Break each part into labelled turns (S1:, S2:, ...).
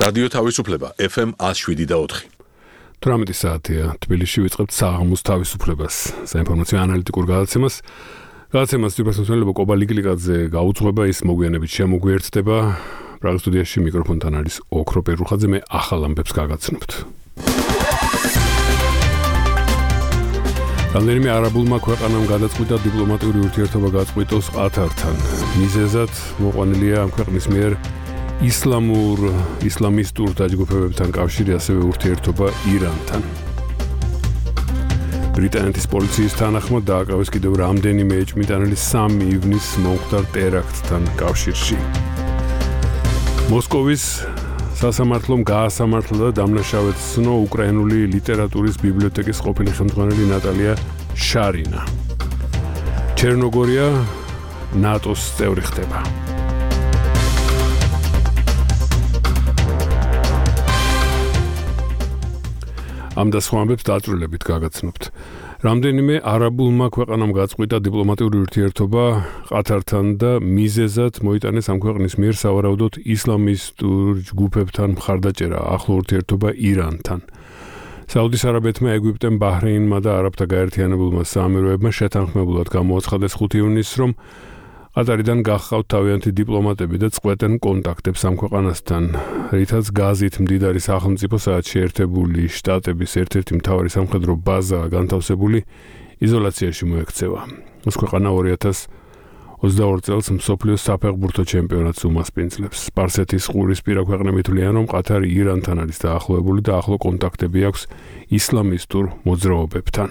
S1: რადიო თავისუფლება FM 107.4.
S2: 18 საათია თბილისში ვიწყებთ საღამოს თავისუფლებას, საინფორმაციო ანალიტიკურ გადაცემას. გადაცემას თვითმფრინავა კობალიკლიკაძე გაუძღვება, ის მოგვიანებით შემოგვიერთდება. პრაღის სტუდიაში მიკროფონთან არის ოქრო პერუხაძე, მე ახალ ამბებს გაგაცნობთ. რამდენიმე არაბულმა ქვეყანამ გადაწყვიტა დიპლომატიური ურთიერთობა გაწყვიტოს ყათართან. მიზეზად მოყვანილია ამ ქვეყნის მიერ ისლამისტურ დაჯგუფებებთან კავშირი, ასევე ურთიერთობა ირანთან. ბრიტანეთის პოლიციის თანახმად დააკავეს კიდევ რამდენიმე ეჭვმიტანილი 3 ივნისს მომხდარ ტერაქტთან კავშირში. მოსკოვის სასამართლომ გაასამართლა და დამნაშავედ ცნო უკრაინული ლიტერატურის ბიბლიოთეკის ყოფილი ხელმძღვანელი ნატალია შარინა. ჩერნოგორია ნატოს წევრი ხდება. ამ და სხვა ამბებს დაწვრილებით გაგაცნობთ. რამდენიმე არაბულმა ქვეყანამ გაწყვიტა დიპლომატიური ურთიერთობა ყათართან და მიზეზად მოიტანეს ამ ქვეყნის მიერ სავარაუდოდ ისლამისტურ ჯგუფებთან მხარდაჭერა, ახლო ურთიერთობა ირანთან. საუდის არაბეთმა, ეგვიპტემ, ბაჰრეინმა და არაბთა გაერთიანებულმა საამიროებმა შეთანხმებულად გამოაცხადეს 5 ივნისს, რომ ყატარიდან გახავთ თავიანთი დიპლომატები და წყვეტენ კონტაქტებს ამ ქვეყანასთან, რითაც გაზით მდიდარი სახელმწიფო საათში ერთებული შტატების ერთ-ერთი მთავარი სამხედრო ბაზა განთავსებული იზოლაციაში მოექცევა. ეს ქვეყანა 2022 წელს მსოფლიოს საფეხბურთო ჩემპიონატს უმასპინძლებს. სპარსეთის ყურისპირა ქვეყნები თვლიან, რომ ყათარი ირანთან არის დაახლოებული და ახლო კონტაქტები აქვს ისლამისტურ მოძრაობებთან.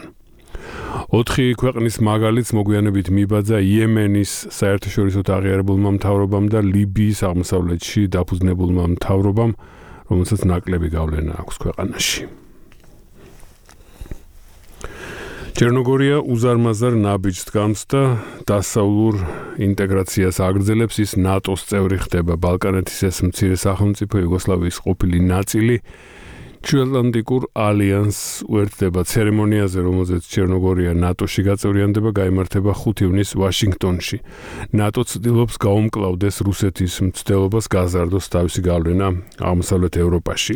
S2: 4 ქვეყნის მაგალითს მოგვიანებით მიბაძა იემენის საერთაშორისო აღიარებულმა მთავრობამ და ლიბიის აღმოსავლეთში დაფუძნებულმა მთავრობამ, რომელსაც ნაკლები გავლენა აქვს ქვეყანაში. ჩერნოგორია უზარმაზარ ნაბიჯს დგამს და დასავლურ ინტეგრაციას აგრძელებს, ის ნატოს წევრი ხდება. ბალკანეთის ეს მცირე სახელმწიფო იუგოსლავიის ყოფილი ნაწილი ჩრდილოატლანტიკურ ალიანსს უერთდება. ცერემონიაზე, რომელზეც ჩერნოგორია ნატოში გაწევრიანდება, გაიმართება 5 ივნისს ვაშინგტონში. ნატო ცდილობს გაუმკლავდეს რუსეთის მცდელობას გაზარდოს თავისი გავლენა აღმოსავლეთ ევროპაში.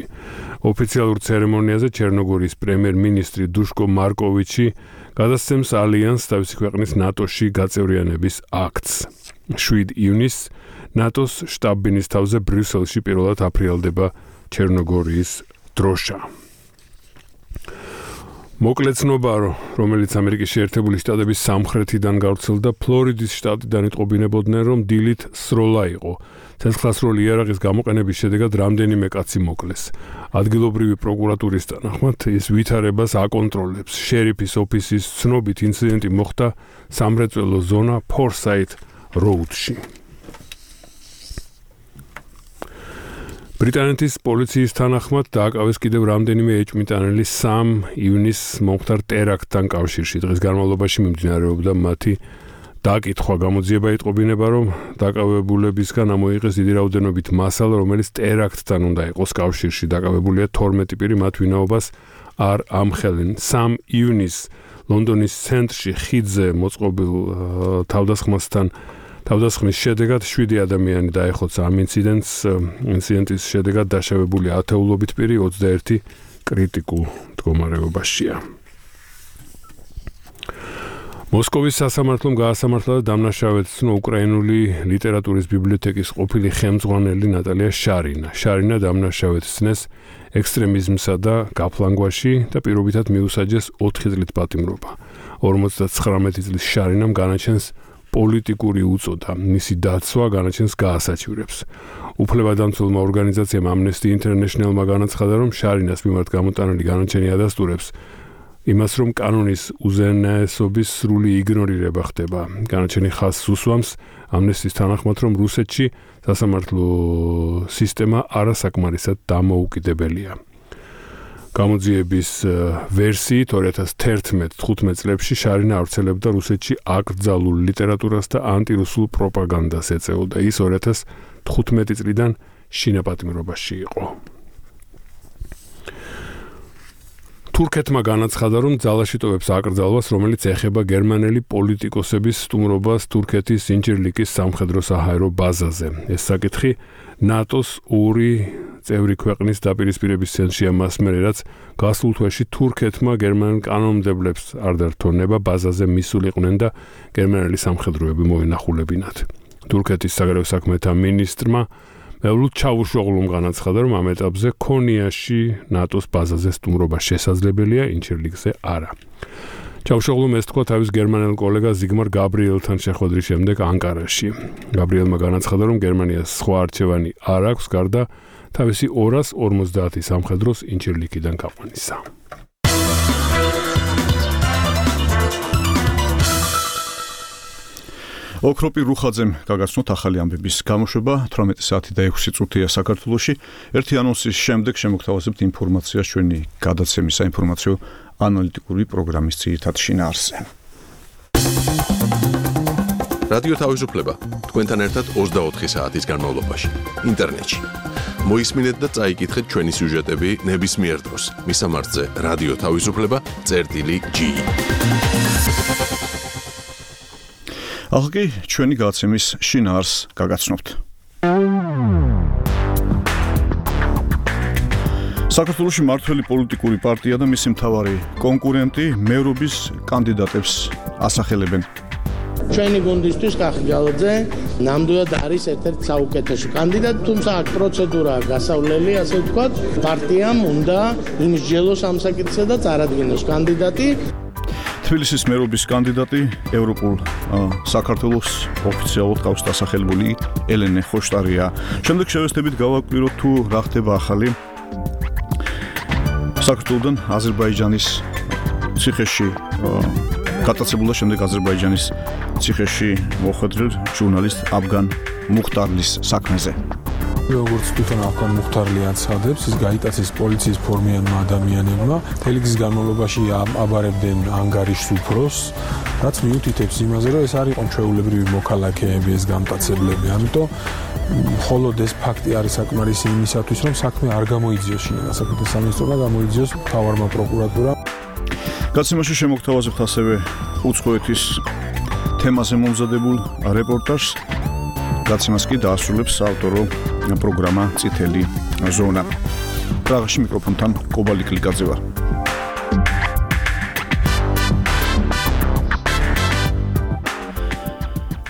S2: ოფიციალურ ცერემონიაზე ჩერნოგორიის პრემიერ-მინისტრი დუშკო მარკოვიჩი გადასცემს ალიანსს თავისი ქვეყნის ნატოში გაწევრიანების აქტს. 7 ივნისს ნატოს შტაბ-ბინის თავზე ბრიუსელში პირველად აფრიალდება ჩერნოგორიის დროშა. მოკლე ცნობა, რომელიც ამერიკის შეერთებული შტატების სამხრეთიდან გავრცელდა, ფლორიდის შტატიდან იტყობინებოდნენ, რომ დილით სროლა იყო. ცეცხლსროლი იარაღის გამოყენების შედეგად რამდენიმე კაცი მოკლეს. ადგილობრივი პროკურატურის თანახმად ის ვითარებას აკონტროლებს. შერიფის ოფისის ცნობით ინციდენტი მოხდა სამრეწველო ზონა ფორსაით როუდში. ბრიტანეთის პოლიციის თანახმად დააკავეს კიდევ რამდენიმე ეჭვმიტანილი 3 ივნისს მომხდარ ტერაქტთან კავშირში. დღის განმავლობაში მიმდინარეობდა მათი დაკითხვა. გამოძიება იტყობინება, რომ დაკავებულებისგან ამოიღეს დიდი რაოდენობით მასალა, რომელიც ტერაქტთან უნდა იყოს კავშირში. დაკავებულია 12 პირი, მათ ვინაობას არ ამხელენ. 3 ივნისს ლონდონის ცენტრში ხიდზე მოწყობილ თავდასხმის შედეგად 7 ადამიანი დაეხოცა. ამ ინციდენტის შედეგად დაშავებული ათეულობით პირი 21 კრიტიკულ მდგომარეობაშია. მოსკოვის სასამართლომ გაასამართლა და დამნაშავედ ცნო უკრაინული ლიტერატურის ბიბლიოთეკის ყოფილი ხელმძღვანელი ნატალია შარინა. შარინა დამნაშავედ ცნეს ექსტრემიზმსა და გაფლანგვაში და პირობითად მიუსაჯეს 4 წლით პატიმრობა. 59 წლის შარინამ განაჩენს პოლიტიკური უწოდა. მისი დაცვა განაჩენს გაასაჩივრებს. უფლებადამცველმა ორგანიზაციამ Amnesty International-მა განაცხადა, რომ შარინას მიმართ გამოტანილი განაჩენი ადასტურებს იმას, რომ კანონის უზენაესობის სრული იგნორირება ხდება. განაჩენი ხაზს უსვამს Amnesty-ს თანახმად, რომ რუსეთში სასამართლო სისტემა არასაკმარისად დამოუკიდებელია. გამოძიების ვერსიით 2011-15 წლებში შარინა ავრცელებდა რუსეთში აკრძალულ ლიტერატურას და ანტირუსულ პროპაგანდას ეწეოდა. ის 2015 წლიდან შინაპატიმრობაში იყო. თურქეთმა განაცხადა, რომ ძალაში ტოვებს აკრძალვას, რომელიც ეხება გერმანელი პოლიტიკოსების სტუმრობას თურქეთის ინჯირლიკის სამხედრო-საჰაერო ბაზაზე. ეს საკითხი ნატოს ორი წევრი ქვეყნის დაპირისპირების ცენტრშია მას მერე, რაც გასულ თვეში თურქეთმა გერმანელ კანონმდებლებს არ დართონება ბაზაზე მისულიყვნენ და გერმანელი სამხედროები მოენახულებინათ. თურქეთის საგარეო საქმეთა მინისტრმა მევლუდ ჩავუშოღლუმ განაცხადა, რომ ამ ეტაპზე ქონიაში ნატოს ბაზაზე სტუმრობა შესაძლებელია, ინჯირლიკზე არა. ჩავუშოღლუმ ეს თქვა თავის გერმანელ კოლეგა ზიგმარ გაბრიელთან შეხვედრის შემდეგ ანკარაში. გაბრიელმა განაცხადა, რომ გერმანიას სხვა არჩევანი არ აქვს, გარდა თავისი 250 სამხედროს ინჯირლიკიდან გაყვანისა.
S3: ოქროპი რუხაძემ გაგაცნოთ ახალი ამბების გამოშვება 18 საათი და 6 წუთია საქართველოში. ერთი ანონსის შემდეგ შემოგთავაზებთ ინფორმაციას ჩვენი გადაცემის საინფორმაციო ანალიტიკური პროგრამის ძირითად შინაარსზე.
S1: რადიო თავისუფლება თქვენთან ერთად 24 საათის განმავლობაში ინტერნეტში. მოისმინეთ და წაიკითხეთ ჩვენი სიუჟეტები ნებისმიერ დროს. მისამართზე რადიო თავისუფლება.ge.
S3: ახლა ჩვენი გადაცემის შინაარსს გაგაცნობთ. საქართველოში მართველი პოლიტიკური პარტია და მისი მთავარი კონკურენტი მერობის კანდიდატებს ასახელებენ.
S4: ჩვენი გუნდისთვის კახი გალაძე ნამდვილად არის ერთ-ერთი საუკეთესო კანდიდატი, თუმცა აქ პროცედურაა გასავლელი, ასე ვთქვათ, პარტიამ უნდა იმსჯელოს ამ საკითხზე და წარადგინოს კანდიდატი.
S3: თბილისის მერობის კანდიდატი ევროპულ საქართველოს ოფიციალურად ყავს დასახელებული ელენე ხოშტარია. შემდეგ შევესწრებით გავაკვიროთ თუ რა ხდება ახალი საქართველოდან აზერბაიჯანის ციხეში გატაცებულ და შემდეგ აზერბაიჯანის ციხეში მოხვედრილ ჟურნალისტ აფგან მუხტარლის საქმეზე.
S5: როგორც თვითონ აფგან მუხტარლი აცხადებს, ის გაიტაცეს პოლიციის ფორმიანმა ადამიანებმა, თელეგის განმავლობაში აბარებდნენ ანგარიშს უფროს, რაც მიუთითებს იმაზე, რომ ეს არის ჩვეულებრივი მოქალაქეები, ეს გამტაცებლები. ამიტომ მხოლოდ ეს ფაქტი არის საკმარისი იმისათვის, რომ საქმე არ გამოიძიოს შინაგან საქმეთა სამინისტრომ, გამოიძიოს მთავარმა პროკურატურამ.
S3: გაცემაში შემოგთავაზებთ ასევე უცხოეთის თემაზე მომზადებულ რეპორტაჟს. გაცემას კი დაასრულებს საავტორო პროგრამა წითელი ზონა. პრაღაში მიკროფონთან კობალი კლიკაძე ვარ.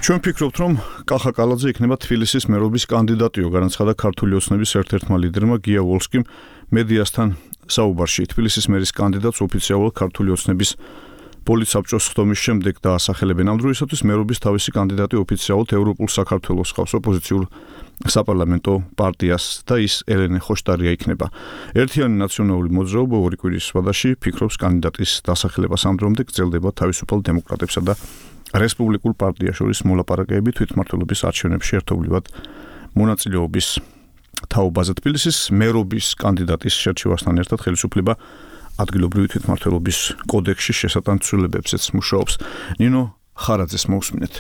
S3: ჩვენ ვფიქრობთ, რომ კახა კალაძე იქნება თბილისის მერობის კანდიდატიო, განაცხადა ქართული ოცნების ერთ-ერთმა ლიდერმა გია ვოლსკიმ მედიასთან საუბარში. თბილისის მერის კანდიდატს ოფიციალურად ქართული ოცნების პოლიტსაბჭოს ხდომის შემდეგ დაასახელებენ. ამ დროისათვის მერობის თავისი კანდიდატი ოფიციალურად ევროპულ საქართველოს ხავს ოპოზიციურ საპარლამენტო პარტიას და ის ელენე ხოშტარია იქნება. ერთიანი ნაციონალური მოძრაობა ორი კვირის ვადაში ფიქრობს კანდიდატის დასახელებას. ამ დრომდე გრძელდება თავისუფალ დემოკრატებსა და რესპუბლიკურ პარტიას შორის მოლაპარაკებები თვითმმართველობის არჩევნებში ერთობლივად მონაწილეობის თაობაზე. თბილისის მერობის კანდიდატის შერჩევასთან ერთად ხელისუფლება ადგილობრივი თვითმმართველობის კოდექსში შესატანცვლებებზეც მუშაობს. ნინო ხარაძეს მოусმინეთ.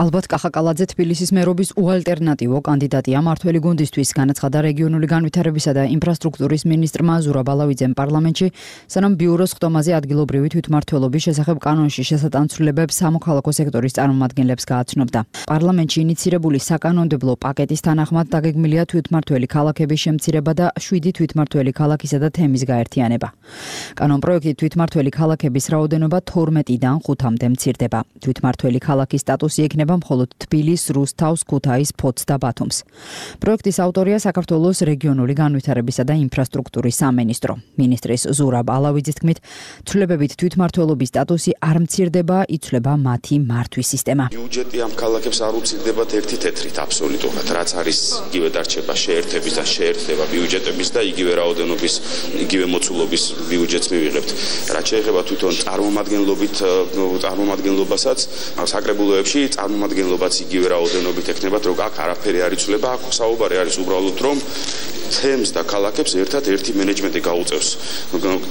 S6: ალბათ კახა კალაძე თბილისის მერობის უალტერნატივო კანდიდატია მართველი გუნდისთვის, განაცხადა რეგიონული განვითარებისა და ინფრასტრუქტურის მინისტრმა ზურაბ ალავიძემ პარლამენტში, სანამ ბიუროს ხდომაზე ადგილობრივი თვითმმართველობის შესახებ კანონში შესატანცვლებებს სამოქალაქო სექტორის წარმომადგენლებს გააცნობდა. პარლამენტში ინიცირებული საკანონმდებლო პაკეტის თანახმად დაგეგმილია თვითმმართველი ქალაქების შემცირება და 7 თვითმმართველი ქალაქისა და თემის გაერთიანება. კანონპროექტით თვითმმართველი ქალაქების რაოდენობა 12-დან 5-მდე მცირდება. თვითმმართველი ქალაქის სტატუსი ექნება მხოლოდ თბილის, რუსთავს, ქუთაის, ფოთს და ბათუმს. პროექტის ავტორია საქართველოს რეგიონული განვითარებისა და ინფრასტრუქტურის სამინისტრო. მინისტრის ზურაბ ალავიძის თქმით, ცვლილებებით თვითმმართველობის სტატუსი არ მცირდება, იცვლება მათი მართვის სისტემა.
S7: ბიუჯეტი ამ ქალაქებს არ უცილდებათ ერთი თეთრით აბსოლუტურად, რაც არის იგივე დარჩება შეერთების და შეერთდება ბიუჯეტების და იგივე რაოდენობის, იგივე მოცულობის ბიუჯეტს მივიღებთ. რაც შეეხება თვითონ წარმომადგენლობასაც საკრებულოებში წარმომადგენლობაც იგივე რაოდენობით ექნებათ, რომ აქ არაფერი არ იცვლება, აქ საუბარი არის უბრალოდ რომ თემს და ქალაქებს ერთად ერთი მენეჯმენტი გაუწევს.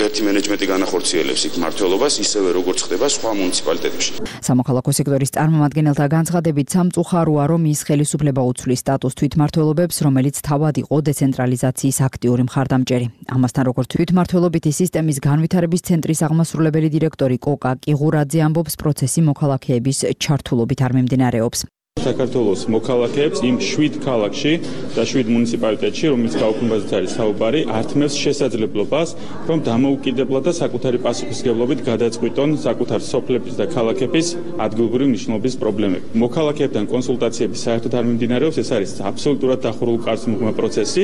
S7: ერთი მენეჯმენტი განახორციელებს იქ მმართველობას, ისევე როგორც ხდება სხვა მუნიციპალიტეტებში.
S6: სამოქალაქო სექტორის წარმომადგენელთა განცხადებით სამწუხაროა, რომ ის ხელისუფლება უცვლის სტატუს თვითმმართველობებს, რომელიც თავად იყო დეცენტრალიზაციის აქტიური მხარდამჭერი. ამასთან, როგორც თვითმმართველობითი სისტემის განვითარების ცენტრის აღმასრულებელი დირექტორი კოკა კიღურაძე ამბობს, პროცესი მოქალაქეების ჩართულობით არ მიმდინარეობს.
S8: საქართველოს მოქალაქეებს იმ 7 ქალაქში და 7 მუნიციპალიტეტში, რომელიც გაუქმებაზეც არის საუბარი, ართმევს შესაძლებლობას, რომ დამოუკიდებლად და საკუთარი პასუხისმგებლობით გადაწყვიტონ საკუთარ სოფლების და ქალაქების ადგილობრივი მნიშვნელობის პრობლემები. მოქალაქეებთან კონსულტაციები საერთოდ არ მიმდინარეობს, ეს არის აბსოლუტურად დახურულ კარს მიღმა პროცესი.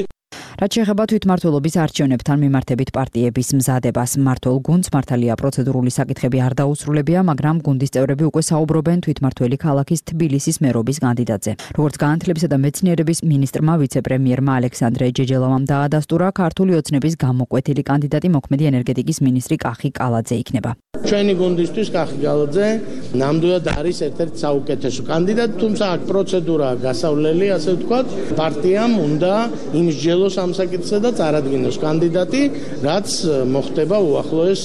S6: რაც შეეხება თვითმმართველობის არჩევნებთან მიმართებით პარტიების მზადებას, მმართველ გუნდს მართალია პროცედურული საკითხები არ დაუსრულებია, მაგრამ გუნდის წევრები უკვე საუბრობენ თვითმმართველი ქალაქის თბილისის მერობის კანდიდატზე. როგორც განათლებისა და მეცნიერების მინისტრმა ვიცე-პრემიერმა ალექსანდრე ჯეჯელოვამ დაადასტურა, ქართული ოცნების გამოკვეთილი კანდიდატი მოქმედი ენერგეტიკის მინისტრი კახი კალაძე იქნება.
S4: ჩვენი გუნდისთვის კახი კალაძე ნამდვილად არის ერთ-ერთი საუკეთესო კანდიდატი, თუმცა აქ პროცედურაა გასავლელი, ასე ვთქვათ, პარტიამ უნდა იმსჯელოს ამ საკითხზე და წარადგინოს კანდიდატი, რაც მოხდება უახლოეს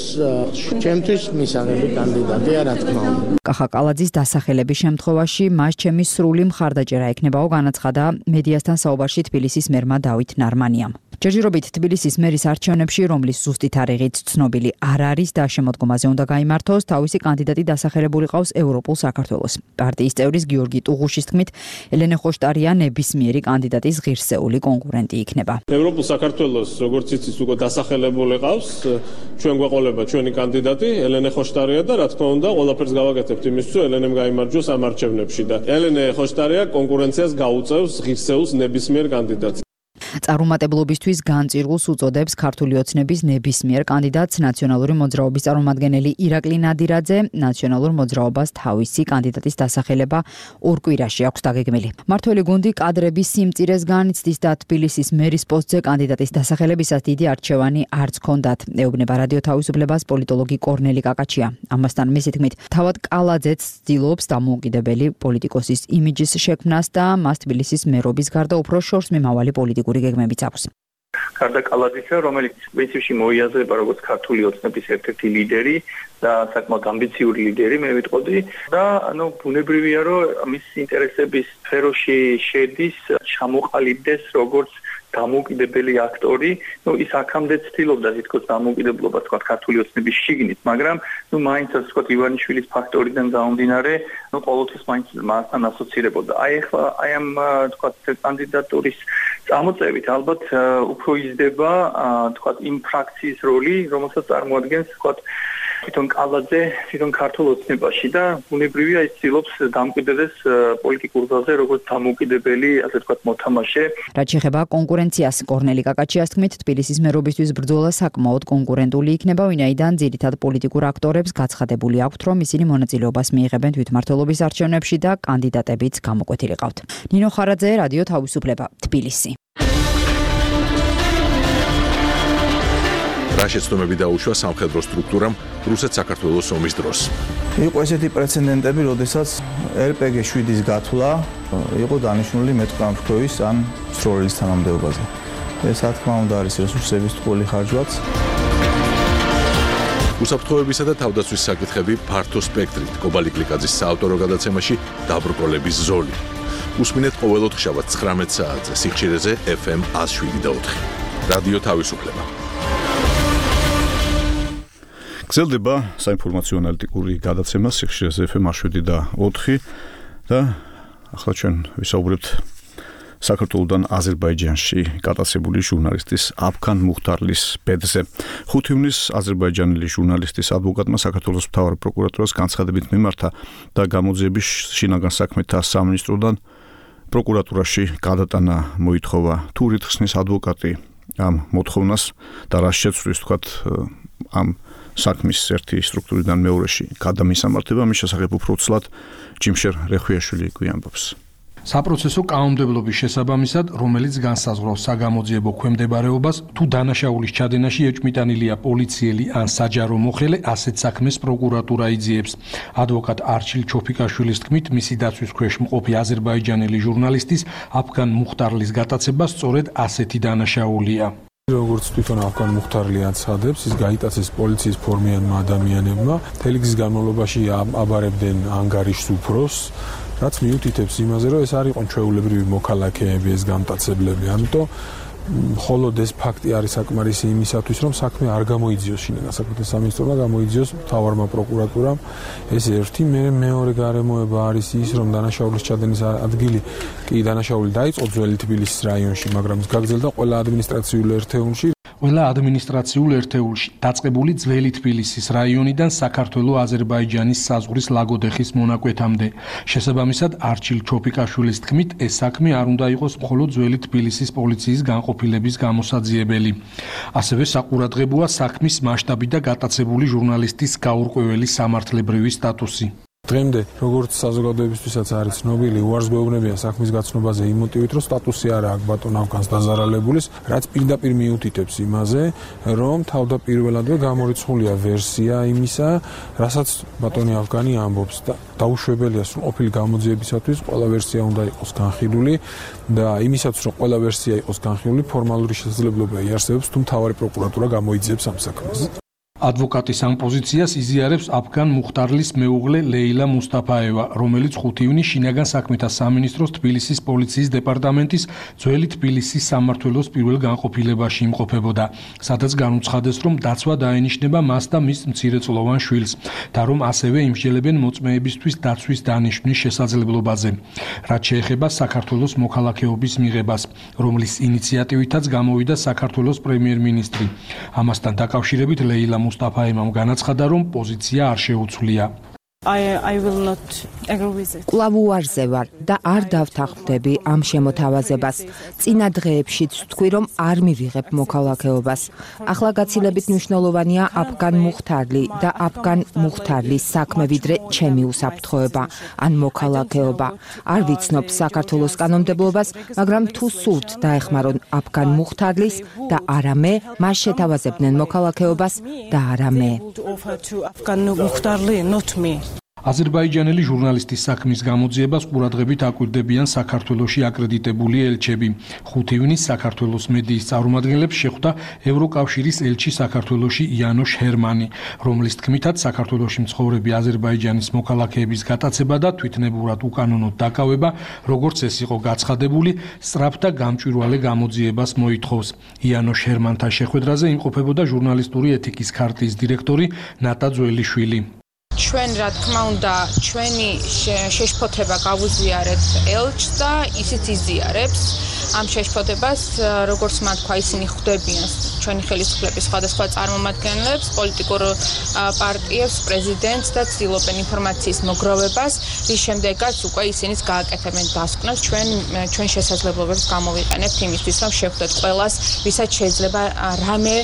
S4: ჩემთვის მისაღები კანდიდატია, რა თქმა უნდა.
S6: კახა კალაძის დასახელების შემთხვევაში მას ჩემი სრული მხარდაჭერა ექნებაო, განაცხადა მედიასთან საუბარში თბილისის მერმა დავით ნარმანიამ. ჯერჯერობით თბილისის მერის არჩევნებში, რომლის ზუსტი თარიღიც ცნობილი არ არის და შემოდგომაზე უნდა გაიმართოს, თავისი კანდიდატი დასახელებული ყავს ევროპულ საქართველოს. პარტიის წევრის გიორგი ტუღუშის თქმით, ელენე ხოშტარია ნებისმიერი კანდიდატის ღირსეული კონკურენტი იქნება.
S9: ევროპულ საქართველოს, როგორც იცის, უკვე დასახელებული ყავს, ჩვენ გვეყოლება ჩვენი კანდიდატი ელენე ხოშტარია და რა თქმა უნდა, ყველაფერს გავაკეთებთ იმისთვის, რომ ელენემ გაიმარჯვოს ამ არჩევნებში და ელენე ხოშტარია კონკურენციას გაუწევს ღირსეულს ნებისმიერ კანდიდატს.
S6: წარუმატებლობისთვის განწირგულს უწოდებს ქართული ოცნების ნებისმიერ კანდიდატს ნაციონალური მოძრაობის წარმომადგენელი ირაკლი ნადირაძე. ნაციონალურ მოძრაობას თავისი კანდიდატის დასახელება ორ კვირაში აქვს დაგეგმილი. მმართველი გუნდი კადრების სიმწირეს განიცდის და თბილისის მერის პოსტზე კანდიდატის დასახელებისას დიდი არჩევანი არც ჰქონდათ. ეუბნება რადიო თავისუფლებას პოლიტოლოგი კორნელი კაკაჩია. ამასთან მისი თქმით, თავად კალაძეც ცდილობს დამოუკიდებელი პოლიტიკოსის იმიჯის შექმნას და მას თბილისის მერობის გარდა უფრო შორს მიმავალი პოლიტიკური გეგმებიც აქვს.
S10: გარდა კალაძისა, რომელიც პრინციპში მოიაზრება როგორც ქართული ოცნების ერთ-ერთი ლიდერი და საკმაოდ ამბიციური ლიდერი, მე ვიტყოდი და ბუნებრივია, რომ მის ინტერესების სფეროში შედის ჩამოყალიბდეს როგორც დამოუკიდებელი აქტორი, ის აქამდე ცდილობდა თითქოს დამოუკიდებლობას თქვა ქართული ოცნების შიგნით, მაგრამ მაინც ასე თქვა ივანიშვილის ფაქტორიდან გამომდინარე, ყოველთვის მაინც მასთან ასოცირებოდა. აი ამ თქვა კანდიდატურის წამოწევით ალბათ უფრო იზრდება თქვა იმ ფრაქციის როლი, რომელსაც წარმოადგენს თქვა თვითონ კალაძე, თვითონ ქართულ ოცნებაში და ბუნებრივია ის ცდილობს დამკვიდრდეს პოლიტიკურ ძალზე როგორც დამოუკიდებელი, ასე ვთქვათ, მოთამაშე.
S6: რაც შეეხება კონკურენციას, კორნელი კაკაჩიას თქმით, თბილისის მერობისთვის ბრძოლა საკმაოდ კონკურენტული იქნება, ვინაიდან ძირითად პოლიტიკურ აქტორებს გაცხადებული აქვთ, რომ ისინი მონაწილეობას მიიღებენ თვითმმართველობის არჩევნებში და კანდიდატებიც გამოკვეთილი ყავთ. ნინო ხარაძე, რადიო თავისუფლება, თბილისი.
S1: რა შეცდომები დაუშვა სამხედრო სტრუქტურამ რუსეთ-საქართველოს ომის დროს.
S11: იყო ესეთი პრეცედენტები, როდესაც RPG 7-ის გათვლა იყო დანიშნული მეტყამფრქვევის ან სროლის თანამდებობაზე. ეს რა თქმა უნდა არის რესურსების ტყუილი ხარჯვაც.
S1: უსაფრთხოებისა და თავდაცვის საკითხები ფართო სპექტრით კობალი კლიკაძის საავტორო გადაცემაში დაბრკოლების ზოლი. უსმინეთ ყოველ ოთხშაბათ 19 საათზე სიხშირეზე FM 107.4. რადიო თავისუფლება.
S3: გრძელდება საინფორმაციო ანალიტიკური გადაცემა სიხშირეზე FM 107.4 და ახლა ჩვენ ვისაუბრებთ საქართველოსთან აზერბაიჯანში გატაცებული ჟურნალისტის აფქან მუხტარლის ბედზე. 5 ივნისს აზერბაიჯანელი ჟურნალისტის ადვოკატმა საქართველოს მთავარ პროკურატურას განცხადებით მიმართა და გამოძიების შინაგან საქმეთა სამინისტროდან პროკურატურაში გადატანა მოითხოვა. თუ რითხსნის ადვოკატი ამ მოთხოვნას და რა შეცვლის თქვათ ამ საქმის ერთი სტრუქტურიდან მეორეში გადამისამართება, მის შესახებ უფრო ცლად ჯიმშერ რეხვიაშვილი გვიანბობს.
S12: საპროცესო კანონმდებლობის შესაბამისად, რომელიც განსაზღვრავს საგამოძიებო ქვემდებარეობას, თუ დანაშაულის ჩადენაში ეჭვმიტანილია პოლიციელი ან საჯარო მოხელე, ასეთ საქმეს პროკურატურა იძიებს. ადვოკატ არჩილ ჩოფიკაშვილის თქმით, მისი დაცვის ქვეშ მყოფი აზერბაიჯანელი ჟურნალისტის აფგან მუხტარლის გატაცება სწორედ ასეთი დანაშაულია.
S5: როგორც თვითონ აფგან მუხტარლი აცხადებს, ის გაიტაცეს პოლიციის ფორმიანმა ადამიანებმა, მთელი გზის განმავლობაში აბარებდნენ ანგარიშს უფროს, რაც მიუთითებს იმაზე, რომ ეს არ იყო ჩვეულებრივი მოქალაქეები, ეს გამტაცებლები. ამიტომ მხოლოდ ეს ფაქტი არის საკმარისი იმისათვის, რომ საქმე არ გამოიძიოს შინაგან საქმეთა სამინისტრომ და გამოიძიოს მთავარმა პროკურატურამ. ეს ერთი, მეორე გარემოება არის ის, რომ დანაშაულის ჩადენის ადგილი კი დანაშაული დაიწყო ძველი თბილისის რაიონში, მაგრამ ის გაგრძელდა ყველა ადმინისტრაციულ ერთეულში.
S12: ყველა ადმინისტრაციულ ერთეულში დაწყებული ძველი თბილისის რაიონიდან საქართველო-აზერბაიჯანის საზღვრის ლაგოდეხის მონაკვეთამდე. შესაბამისად, არჩილ ჩოფიკაშვილის თქმით, ეს საქმე არ უნდა იყოს მხოლოდ ძველი თბილისის პოლიციის განყოფილების გამოსაძიებელი. ასევე საყურადღებოა საქმის მასშტაბი და გატაცებული ჟურნალისტის გაურკვეველი სამართლებრივი სტატუსი.
S5: დღემდე, როგორც საზოგადოებისთვისაც არის ცნობილი, უარს გვეუბნებიან საქმის გაცნობაზე იმ მოტივით, რომ სტატუსი არა აქვს ბატონ აფგანს დაზარალებულის, რაც პირდაპირ მიუთითებს იმაზე, რომ თავდაპირველადვე გამორიცხულია ვერსია იმისა, რასაც ბატონი აფგანი ამბობს და დაუშვებელია სრულყოფილი გამოძიებისათვის ყველა ვერსია უნდა იყოს განხილული და იმისათვის, რომ ყველა ვერსია იყოს განხილული, ფორმალური შესაძლებლობა იარსებებს, თუ მთავარი პროკურატურა გამოიძიებს ამ საქმეს.
S12: ადვოკატის ამ პოზიციას იზიარებს აფგან მუხტარლის მეუღლე ლეილა მუსტაფაევა, რომელიც 5 ივნის შინაგან საქმეთა სამინისტროს თბილისის პოლიციის დეპარტამენტის ძველი თბილისის სამმართველოს პირველ განყოფილებაში იმყოფებოდა, სადაც განუცხადეს, რომ დაცვა დაენიშნება მას და მის მცირეწლოვან შვილს და რომ ასევე იმსჯელებენ მოწმეებისთვის დაცვის დანიშვნის შესაძლებლობაზე. რაც შეეხება საქართველოს მოქალაქეობის მიღებას, რომლის ინიციატივითაც გამოვიდა საქართველოს პრემიერ-მინისტრი. ამასთან დაკავშირებით ლეილა მუსტაფაევამ განაცხადა, რომ პოზიცია არ შეუცვლია.
S13: კვლავ უარზე ვარ და არ დავთანხმდები ამ შემოთავაზებას. წინა დღეებშიც ვთქვი, რომ არ მივიღებ მოქალაქეობას. ახლა გაცილებით მნიშვნელოვანია აფგან მუხტარლი და აფგან მუხტარლის საქმე, ვიდრე ჩემი უსაფრთხოება ან მოქალაქეობა. არ ვიცნობ საქართველოს კანონმდებლობას, მაგრამ თუ სურთ დაეხმარონ აფგან მუხტარლის და არა მე, მას შეთავაზებდნენ მოქალაქეობას და არა მე.
S12: აზერბაიჯანელი ჟურნალისტის საქმის გამოძიებას ყურადღებით აკვირდებიან საქართველოში აკრედიტებული ელჩები. 5 ივნის საქართველოს მედიის წარმომადგენლებს შეხვდა ევროკავშირის ელჩი საქართველოში იანოშ ჰერმანი, რომლის თქმითაც საქართველოში მცხოვრები აზერბაიჯანის მოქალაქეების გატაცება და თვითნებურად უკანონოდ დაკავება, როგორც ეს იყო გაცხადებული, სწრაფ და გამჭვირვალე გამოძიებას მოითხოვს. იანოშ ჰერმანთან შეხვედრაზე იმყოფებოდა ჟურნალისტური ეთიკის ქარტიის დირექტორი ნატა ძველიშვილი.
S14: ჩვენ რა თქმა უნდა ჩვენი შეშფოთება გავუზიარეთ ელჩს და ისიც იზიარებს ამ შეშფოთებას, როგორც მათ თქვა, ისინი ხვდებიან ჩვენი ხელისუფლების სხვადასხვა წარმომადგენლებს, პოლიტიკურ პარტიებს, პრეზიდენტს და ცდილობენ ინფორმაციის მოგროვებას, რის შემდეგაც უკვე ისინიც გააკეთებენ დასკვნებს, ჩვენ შესაძლებლობებს გამოვიყენებთ იმისთვის, რომ შევხვდეთ ყველას, ვისაც შეიძლება რამე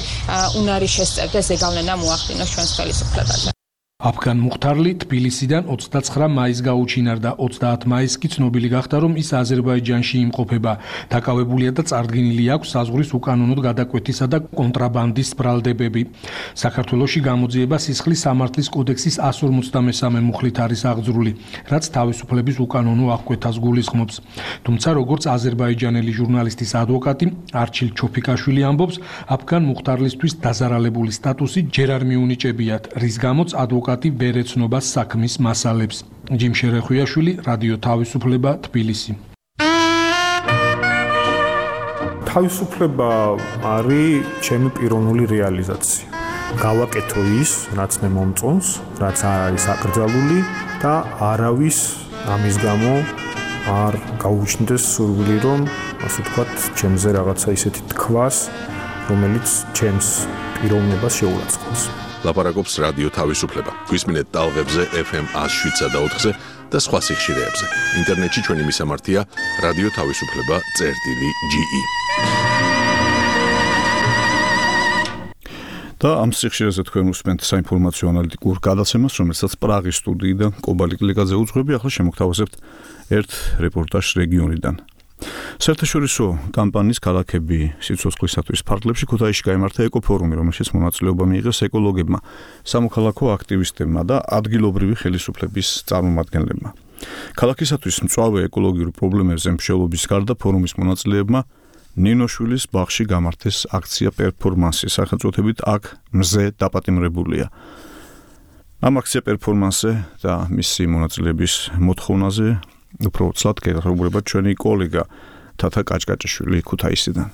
S14: უნარი შესწევდეს ზეგავლენა მოახდინოს ჩვენს ხელისუფლებაზე.
S12: აფგან მუხტარლი თბილისიდან 29 მაისს გაუჩინარდა. 30 მაისს კი ცნობილი გახდა, რომ ის აზერბაიჯანში იმყოფება. დაკავებულია და წარდგენილი აქვს საზღვრის უკანონოდ გადაკვეთისა და კონტრაბანდის ბრალდებები. საქართველოში გამოძიება სისხლის სამართლის კოდექსის 153 მუხლით არის აღძრული, რაც თავისუფლების უკანონო აღკვეთას გულისხმობს. თუმცა, როგორც აზერბაიჯანელი ჟურნალისტის ადვოკატი არჩილ ჩოფიკაშვილი ამბობს, აფგან მუხტარლისთვის დაზარალებული სტატუსი ჯერ არ მიუნიჭებიათ, რის გამოც ადვოკატი ვერ ეცნობა საქმის მასალებს. ჯიმ შერეხვიაშვილი, რადიო თავისუფლება, თბილისი.
S15: თავისუფლება არის ჩემი პიროვნული რეალიზაცია. გავაკეთო ის, რაც მე მომწონს, რაც არ არის აკრძალული და არავის ამის გამო არ გაუჩნდეს სურვილი, რომ ასე ვთქვათ, ჩემზე რაღაცა ისეთი თქვას, რომელიც ჩემს პიროვნებას შეურაცხყოფს.
S1: ლაპარაკობს რადიო თავისუფლება. გვისმინეთ ტალღებზე FM 107 და 4-ზე და სხვა სიხშირეებზე. ინტერნეტში ჩვენი მისამართია რადიო თავისუფლება.ge.
S3: და ამ სიხშირეზე თქვენ უსმენთ საინფორმაციო ანალიტიკურ გადაცემას, რომელსაც პრაღის სტუდიიდან კობალი კლიკაძე უძღვები. ახლა შემოგთავაზებთ ერთ რეპორტაჟს რეგიონიდან. საერთაშორისო კამპანიის ქალაქები სიცოცხლისათვის ფარგლებში ქუთაისში გაიმართა ეკოფორუმი, რომელშიც მონაწილეობა მიიღეს ეკოლოგებმა, სამოქალაქო აქტივისტებმა და ადგილობრივი ხელისუფლების წარმომადგენლებმა. ქალაქისათვის მწვავე ეკოლოგიურ პრობლემებზე მსჯელობის გარდა ფორუმის მონაწილეებმა ნინოშვილის ბაღში გამართეს აქცია პერფორმანსი, სახელწოდებით აქ მზე დაპატიმრებულია. ამ აქცია პერფორმანსზე და მისი მონაწილეების მოთხოვნაზე უფრო ცალკე გეღრუბება ჩვენი კოლეგა თათა კაჭკაჭიშვილი ქუთაისიდან.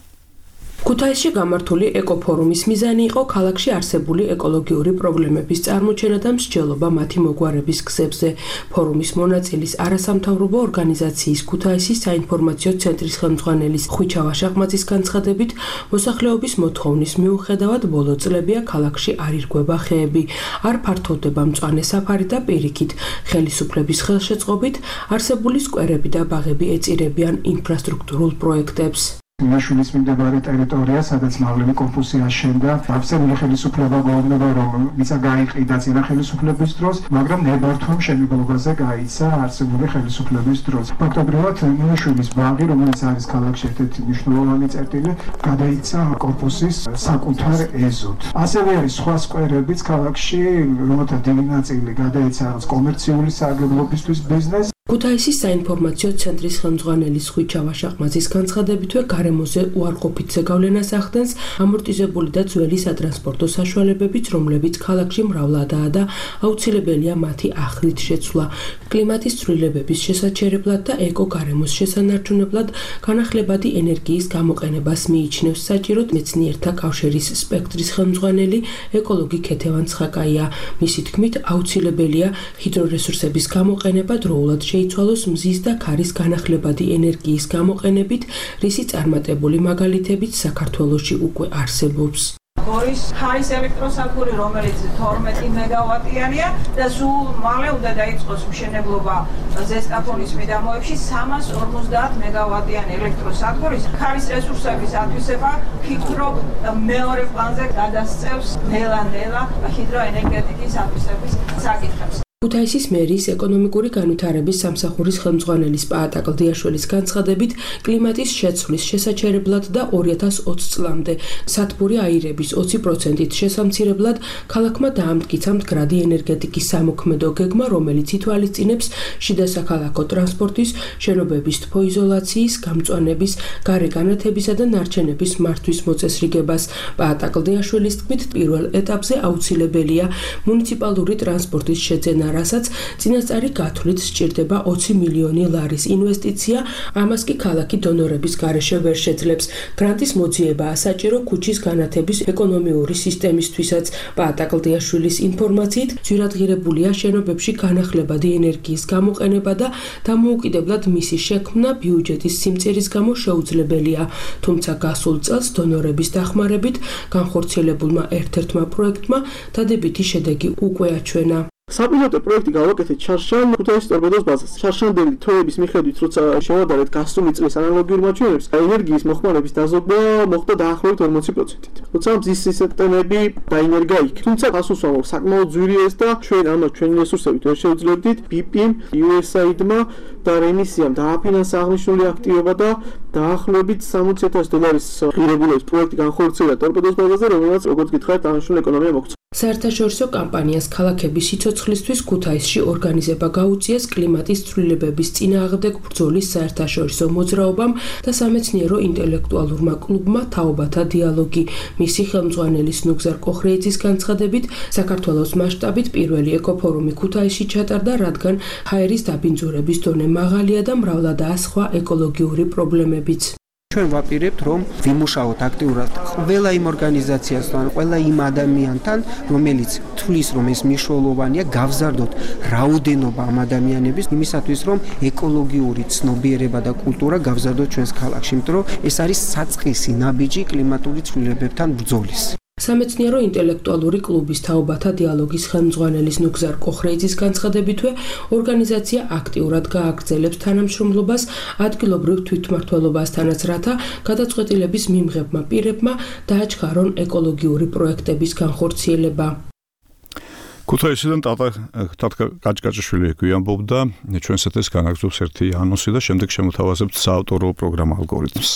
S16: ქუთაისში გამართული ეკოფორუმის მიზანი იყო ქალაქში არსებული ეკოლოგიური პრობლემების წარმოჩენა და მსჯელობა მათი მოგვარების გზებზე. ფორუმის მონაწილის არასამთავრობო ორგანიზაციის ქუთაისის საინფორმაციო ცენტრის ხელმძღვანელის ხვიჩა ვაშაყმაძის განცხადებით, მოსახლეობის მოთხოვნის მიუხედავად ბოლო წლებია ქალაქში არ ირღვევა ხეები, არ ფართოვდება მწვანე საფარი და პირიქით, ხელისუფლების ხელშეწყობით არსებული სკვერები და ბაღები ეწირებიან ინფრასტრუქტურულ პროექტებს.
S17: ნინოშვილის მიმდებარე ტერიტორია, სადაც მაღლები კორპუსი აშენდა, ავსებული ხელისუფლება გვეუბნება, რომ მიწა გაიყიდა წინა ხელისუფლების დროს, მაგრამ ნებართვა მშენებლობაზე გაიცა არსებული ხელისუფლების დროს. ფაქტობრივად, ნინოშვილის ბაღი, რომელიც არის ქალაქში ერთ-ერთი მნიშვნელოვანი წერტილი, გადაიცა კორპუსის საკუთარ ეზოდ. ასევე არის სხვა სკვერებიც ქალაქში, რომელთა დიდი ნაწილი გადაიცა კომერციული სარგებლობისთვის ბიზნესს.
S16: ქუთაისის საინფორმაციო ცენტრის ხელმძღვანელის ხვიჩა ვაშაყმაძის განცხადებითვე გარემოზე უარყოფით ზეგავლენას ახდენს ამორტიზებული და ძველი სატრანსპორტო საშუალებებიც, რომლებიც ქალაქში მრავლადაა და აუცილებელია მათი ახლით შეცვლა. კლიმატის ცვლილებების შესაჩერებლად და ეკო-გარემოს შესანარჩუნებლად განახლებადი ენერგიის გამოყენებას მიიჩნევს საჭიროდ მეცნიერთა კავშირის სპექტრის ხელმძღვანელი ეკოლოგი ქეთევან ცხაკაია. მისი თქმით, აუცილებელია ჰიდრორესურსების გამოყენება დროულად შეიცვალოს მზის და ქარის განახლებადი ენერგიის გამოყენებით, რისი წარმატებული მაგალითებიც საქართველოში უკვე არსებობს.
S18: გორის ქარის ელექტროსადგური, რომელიც 12 მეგავატიანია და სულ მალე უნდა დაიწყოს მშენებლობა ზესტაფონის მიდამოებში 350 მეგავატიანი ელექტროსადგურის ქარის რესურსების ათვისება ფიქრობ მეორე პლანზე გადასწევს ნელა-ნელა ჰიდროენერგეტიკის ათვისების საკითხებს.
S16: ქუთაისის მერიის ეკონომიკური განვითარების სამსახურის ხელმძღვანელის პაატა კლდიაშვილის განცხადებით, კლიმატის შეცვლის შესაჩერებლად და 2020 წლამდე სათბური აირების 20%-ით შესამცირებლად ქალაქმა დაამტკიცა მდგრადი ენერგეტიკის სამოქმედო გეგმა, რომელიც ითვალისწინებს შიდა საქალაქო ტრანსპორტის, შენობების თბოიზოლაციის, გამწვანების, გარე განათებისა და ნარჩენების მართვის მოწესრიგებას. პაატა კლდიაშვილის თქმით, პირველ ეტაპზე აუცილებელია მუნიციპალური ტრანსპორტის შეძენა, რასაც წინასწარი გათვლით სჭირდება 20 მილიონი ლარის ინვესტიცია, ამას კი ქალაქი დონორების გარეშე ვერ შეძლებს. გრანტის მოძიებაა საჭირო ქუჩის განათების ეკონომიური სისტემისთვისაც. პაატა კლდიაშვილის ინფორმაციით, ძვირადღირებულია შენობებში განახლებადი ენერგიის გამოყენება და დამოუკიდებლად მისი შექმნა ბიუჯეტის სიმწირის გამო შეუძლებელია. თუმცა გასულ წელს დონორების დახმარებით განხორციელებულმა ერთ-ერთმა პროექტმა დადებითი შედეგი უკვე აჩვენა.
S19: საპილოტო პროექტი გავაკეთეთ ჩარშან ქუთაისის ტორპედოს ბაზაზე. ჩარშანდელი თოების მიხედვით, როცა შევადარეთ გასული წლის ანალოგიურ მაჩვენებლებს, ენერგიის მოხმარების დაზოგვა მოხდა დაახლოებით 40%-ით. როცა მზის სისტემები დაინერგა იქ. თუმცა გასულსვამო საკმაოდ ძვირიეს და ჩვენ ამას ჩვენი რესურსებით ვერ შევძლებდით. BP-მ, USAID-მა და რემისიამ დააფინანსა აღნიშნული აქტივობა და დაახლოებით $60,000 ღირებულების პროექტი განხორციელა ტორპედოს ბაზაზე, რომელსაც როგორც გითხარით, აღნიშნული ეკონომია მოგვცა.
S16: საერთაშორისო კამპანიას ქალაქების სიცოცხლისთვის ქუთაისში ორგანიზება გაუწიეს კლიმატის ცვლილებების წინააღმდეგ ბრძოლის საერთაშორისო მოძრაობამ და სამეცნიერო ინტელექტუალურმა კლუბმა თაობათა დიალოგი. მისი ხელმძღვანელის ნუგზარ კოხრეიძის განცხადებით, საქართველოს მასშტაბით პირველი ეკოფორუმი ქუთაისში ჩატარდა, რადგან ჰაერის დაბინძურების დონე მაღალია და მრავლადაა სხვა ეკოლოგიური პრობლემებიც.
S20: ჩვენ ვაპირებთ, რომ ვიმუშაოთ აქტიურად ყველა იმ ორგანიზაციასთან, ყველა იმ ადამიანთან, რომელიც თვლის, რომ ეს მნიშვნელოვანია, გავზარდოთ რაოდენობა ამ ადამიანების იმისათვის, რომ ეკოლოგიური ცნობიერება და კულტურა გავზარდოთ ჩვენს ქალაქში, იმიტომ რომ ეს არის საწყისი ნაბიჯი კლიმატური ცვლილებებთან ბრძოლის.
S16: სამეცნიერო ინტელექტუალური კლუბის თაობათა დიალოგის ხელმძღვანელის ნუგზარ კოხრეიძის განცხადებითვე, ორგანიზაცია აქტიურად გააგრძელებს თანამშრომლობას ადგილობრივ თვითმმართველობასთანაც, რათა გადაწყვეტილების მიმღებმა პირებმა დააჩქარონ ეკოლოგიური პროექტების განხორციელება.
S3: ქუთაისიდან ტატკა კაჭკაჭაშვილი გვიამბობდა ჩვენს ეთერს განაგრძობს ერთი ანონსი და შემდეგ შემოთავაზებთ საავტორო პროგრამა ალგორითმს.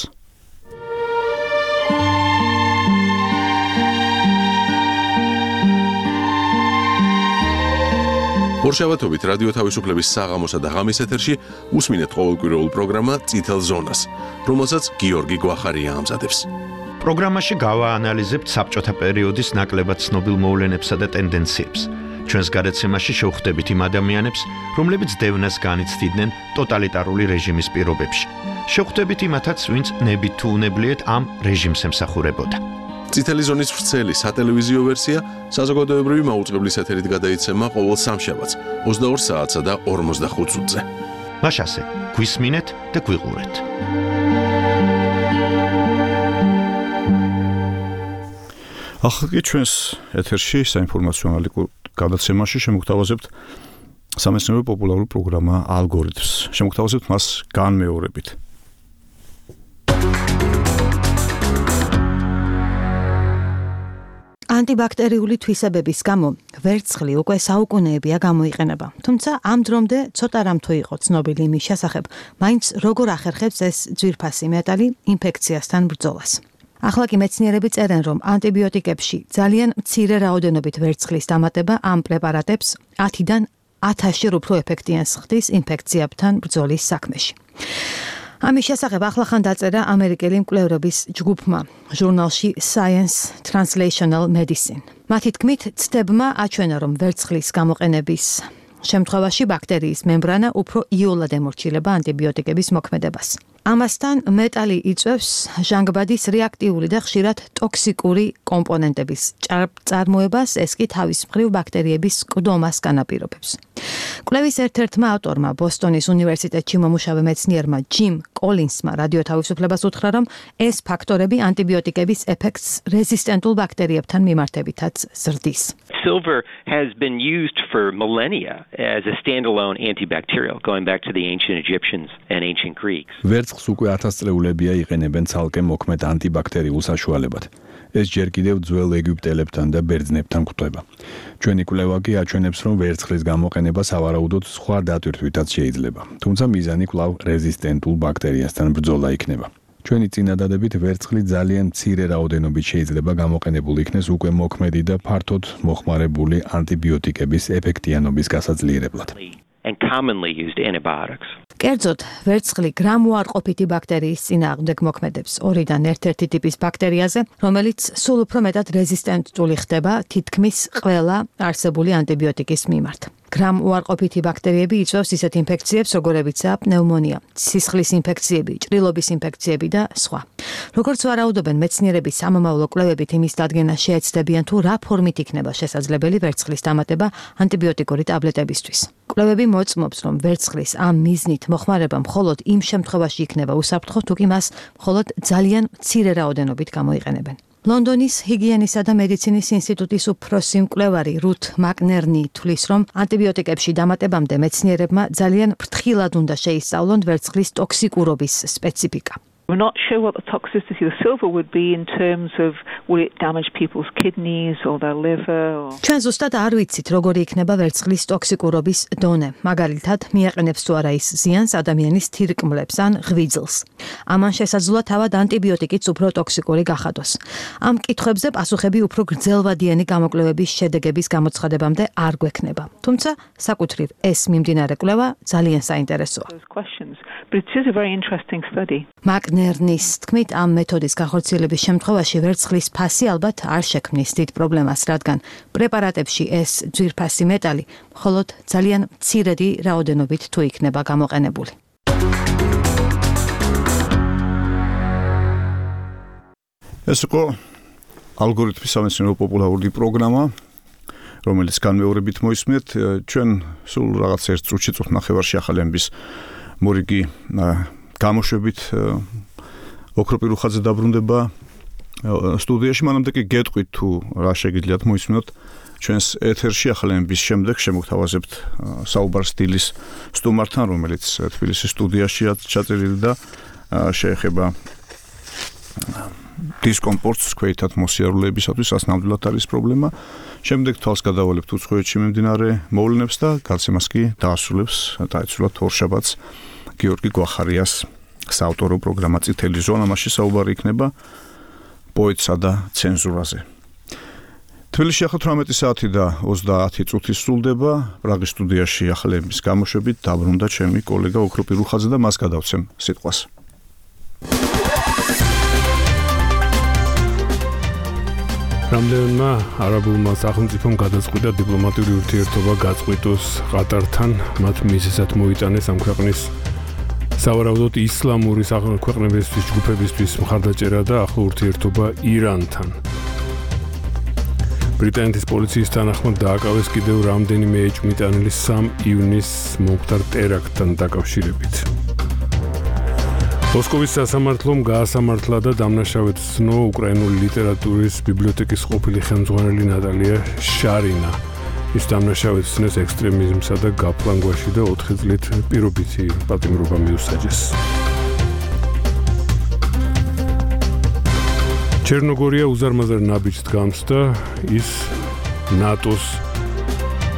S1: ორშაბათობით რადიო თავისუფლების საღამოსა და ღამის ეთერში უსმინეთ ყოველკვირეულ პროგრამა წითელ ზონას, რომელსაც გიორგი გვახარია ამზადებს.
S21: პროგრამაში გავაანალიზებთ საბჭოთა პერიოდის ნაკლებად ცნობილ მოვლენებსა და ტენდენციებს. ჩვენს გადაცემაში შევხვდებით იმ ადამიანებს, რომლებიც დევნას განიცდიდნენ ტოტალიტარული რეჟიმის პირობებში. შევხვდებით იმათაც, ვინც ნებით თუ უნებლიეთ ამ რეჟიმს ემსახურებოდა.
S1: წითელი ზონის ვრცელი სატელევიზიო ვერსია საზოგადოებრივი მაუწყებლის ეთერით გადაიცემა ყოველ სამშაბათს 22 საათსა და 45 წუთზე.
S21: მაშასე, გვისმინეთ და გვიყურეთ.
S3: ახლა კი ჩვენს ეთერში საინფორმაციო ანალიტიკურ გადაცემაში შემოგთავაზებთ სამეცნიერო პოპულარულ პროგრამა ალგორითმს. შემოგთავაზებთ მას განმეორებით.
S22: ანტიბაქტერიული თვისებების გამო ვერცხლი უკვე საუკუნეებია გამოიყენება. თუმცა ამ დრომდე ცოტა რამ თუ იყო ცნობილი იმის შესახებ, მაინც როგორ ახერხებს ეს ძვირფასი მეტალი ინფექციასთან ბრძოლას. ახლა კი მეცნიერები წერენ, რომ ანტიბიოტიკებში ძალიან მცირე რაოდენობით ვერცხლის დამატება ამ პრეპარატებს 10-დან 1000-ში უფრო ეფექტიანს ხდის ინფექციებთან ბრძოლის საქმეში. ამის შესახებ ახლახან დაწერა ამერიკელი მკვლევრების ჯგუფმა ჟურნალში Science Translational Medicine. მათი თქმით, ცდებმა აჩვენა, რომ ვერცხლის გამოყენების შემთხვევაში ბაქტერიის მემბრანა უფრო იოლად ემორჩილება ანტიბიოტიკების მოქმედებას. ამასთან მეტალი იწვევს ჟანგბადის რეაქტიული და ხშირად ტოქსიკური კომპონენტების წარმოებას, ეს კი თავის მხრივ ბაქტერიების კლდომას განაპირობებს. კვლევის ერთ-ერთმა ავტორმა ბოსტონის უნივერსიტეტში მომუშავე მეცნიერმა ჯიმ კოლინსმა რადიო თავისუფლებას უთხრა, რომ ეს ფაქტორები ანტიბიოტიკების ეფექტს რეზისტენტულ ბაქტერიებთან მიმართებითაც ზრდის.
S23: Silver has been used for millennia as a standalone antibacterial, going back to the ancient Egyptians and ancient Greeks.
S24: ვერცხლს უკვე 1000 წლეულებია იყენებენ ცალკე მოქმედ ანტიბაქტერიულ საშუალებად. ეს ჯერ კიდევ ძველ ეგვიპტელებთან და ბერძნებთან გვხვდება. ჩვენი კვლევა კი აჩვენებს, რომ ვერცხლის გამოყენება სავარაუდოდ სხვა დატვირთვითაც შეიძლება, თუმცა მიზანი კვლავ რეზისტენტულ ბაქტერიასთან ბრძოლა იქნება. ჩვენი წინადადებით ვერცხლი ძალიან მცირე რაოდენობით შეიძლება გამოყენებული იქნეს უკვე მოქმედი და ფართოდ მოხმარებული ანტიბიოტიკების ეფექტიანობის გასაძლიერებლად.
S23: And commonly used antibiotics.
S22: კერძოდ, ვერცხლი გრამუარყოფითი ბაქტერიის წინააღმდეგ მოქმედებს 2-დან 1 ტიპის ბაქტერიაზე, რომელიც სულ უფრო მეტად რეზისტენტული ხდება თითქმის ყველა არსებული ანტიბიოტიკის მიმართ. გრამუარყოფითი ბაქტერიები იწვევს ისეთ ინფექციებს, როგორებიცაა პნევმონია, სისხლის ინფექციები, ჭრილობის ინფექციები და სხვა. როგორც ვარაუდობენ მეცნიერები, სამომავლო კვლევებით იმის დადგენა შეეცდებიან, თუ რა ფორმით იქნება შესაძლებელი ვერცხლის დამატება ანტიბიოტიკური ტაბლეტებისთვის. კვლევები მოწმობს, რომ ვერცხლის ამ მიზნით მოხმარება მხოლოდ იმ შემთხვევაში იქნება უსაფრთხო, თუ კი მას მხოლოდ ძალიან მცირე რაოდენობით გამოიყენებენ. ლონდონის ჰიგიენისა და მედიცინის ინსტიტუტის უფროსი მკვლევარი რუთ მაკნერნი თვლის, რომ ანტიბიოტიკებში დამატებამდე მეცნიერებმა ძალიან ფრთხილად უნდა შეისწავლონ ვერცხლის ტოქსიკურობის სპეციფიკა.
S25: We're not sure what the toxicity of silver would be in terms of will it damage people's kidneys or their liver or
S22: ჩვენ ზუსტად არ ვიცით, როგორი იქნება ვერცხლის ტოქსიკურობის დონე. მაგალითად, მიაყენებს თუ არა ის ზიანს ადამიანის თირკმლებს ან ღვიძლს. ამან შესაძლოა თავად ანტიბიოტიკიც უფრო ტოქსიკური გახადოს. ამ კითხვებზე პასუხები უფრო გრძელვადიანი გამოკვლევების შედეგების გამოცხადებამდე არ გვექნება. თუმცა, საკუთრივ ეს მიმდინარე კვლევა ძალიან საინტერესოა.
S25: But it is a very interesting study.
S22: მაკნერნის თქმით, ამ მეთოდის განხორციელების შემთხვევაში ვერცხლის ფასი ალბათ არ შექმნის დიდ პრობლემას, რადგან პრეპარატებში ეს ძვირფასი მეტალი მხოლოდ ძალიან მცირედი რაოდენობით თუ იქნება გამოყენებული.
S3: ეს იყო ალგორითმის სამეცნიერო პოპულარული პროგრამა, რომელიც განმეორებით მოისმენთ. ჩვენ სულ რაღაც 1 წუთში წუთ ნახევარში ახალების მორიგი გამოშვებით ოქროპირუხაძე დაბრუნდება სტუდიაში. მანამდე კი გეტყვით თუ რა შეგიძლიათ მოისმინოთ ჩვენს ეთერში ახალების შემდეგ შემოგთავაზებთ საუბარს დილის სტუმართან, რომელიც თბილისის სტუდიაშია ჩაწერილი და შეეხება დისკომფორტს ქვეითად მოსიარულეებისათვის ასნამდვილად არის პრობლემა. შემდეგ თვალს გადავალებთ უცხოეთში მიმდინარე მოვლენებს და გაცემას კი დაასრულებს დაეცვლათ ორშაბათს გიორგი გვახარიას საავტორო პროგრამა წითელი ზონა. მასში საუბარი იქნება პოეტსა და ცენზურაზე. თბილისში ახლა 18 საათი და 30 წუთი სრულდება. პრაღის სტუდიაში ახალების გამოშვებით დაბრუნდა ჩემი კოლეგა ოქროპი რუხაძე და მას გადავცემ სიტყვას.
S5: რამდენმა არაბულმა სახელმწიფომ გადაწყვიტა დიპლომატიური ურთიერთობა გაწყვიტოს ყატართან, მათ მიზეზად მოიტანეს ამ ქვეყნის სავარაუდოდ ისლამური ქვეყნებისთვის ჯგუფებისთვის მხარდაჭერა და ახლო ურთიერთობა ირანთან. ბრიტანეთის პოლიციის თანახმად დააკავეს კიდევ რამდენიმე ეჭვმიტანილი 3 ივნისს მომხდარ ტერაქტთან დაკავშირებით. მოსკოვის სასამართლომ გაასამართლა და დამნაშავედ ცნო უკრაინული ლიტერატურის ბიბლიოთეკის ყოფილი ხელმძღვანელი ნატალია შარინა. ის დამნაშავედ ცნეს ექსტრემიზმსა და გაფლანგვაში და 4 წლით პირობითი პატიმრობა მიუსაჯეს. ჩერნოგორია უზარმაზარ ნაბიჯს დგამს და ის ნატოს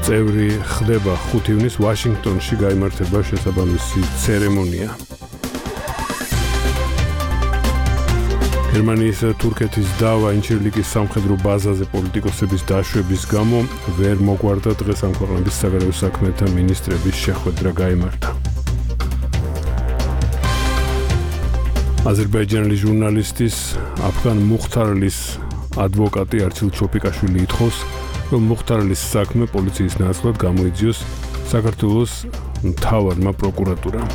S5: წევრი ხდება. 5 ივნისს ვაშინგტონში გაიმართება შესაბამისი ცერემონია. გერმანიის და თურქეთის დავა ინჩირლიკის სამხედრო ბაზაზე პოლიტიკოსების დაშვების გამო ვერ მოგვარდა დღეს ამ ქვეყნების საგარეო საქმეთა მინისტრების შეხვედრა გაიმართა. აზერბაიჯანელი ჟურნალისტის აფგან მუხთარლის ადვოკატი არჩილ ჩოპიკაშვილი ითხოვს, რომ მუხთარლის საქმე პოლიციის ნაცვლად გამოიძიოს საქართველოს მთავარმა პროკურატურამ.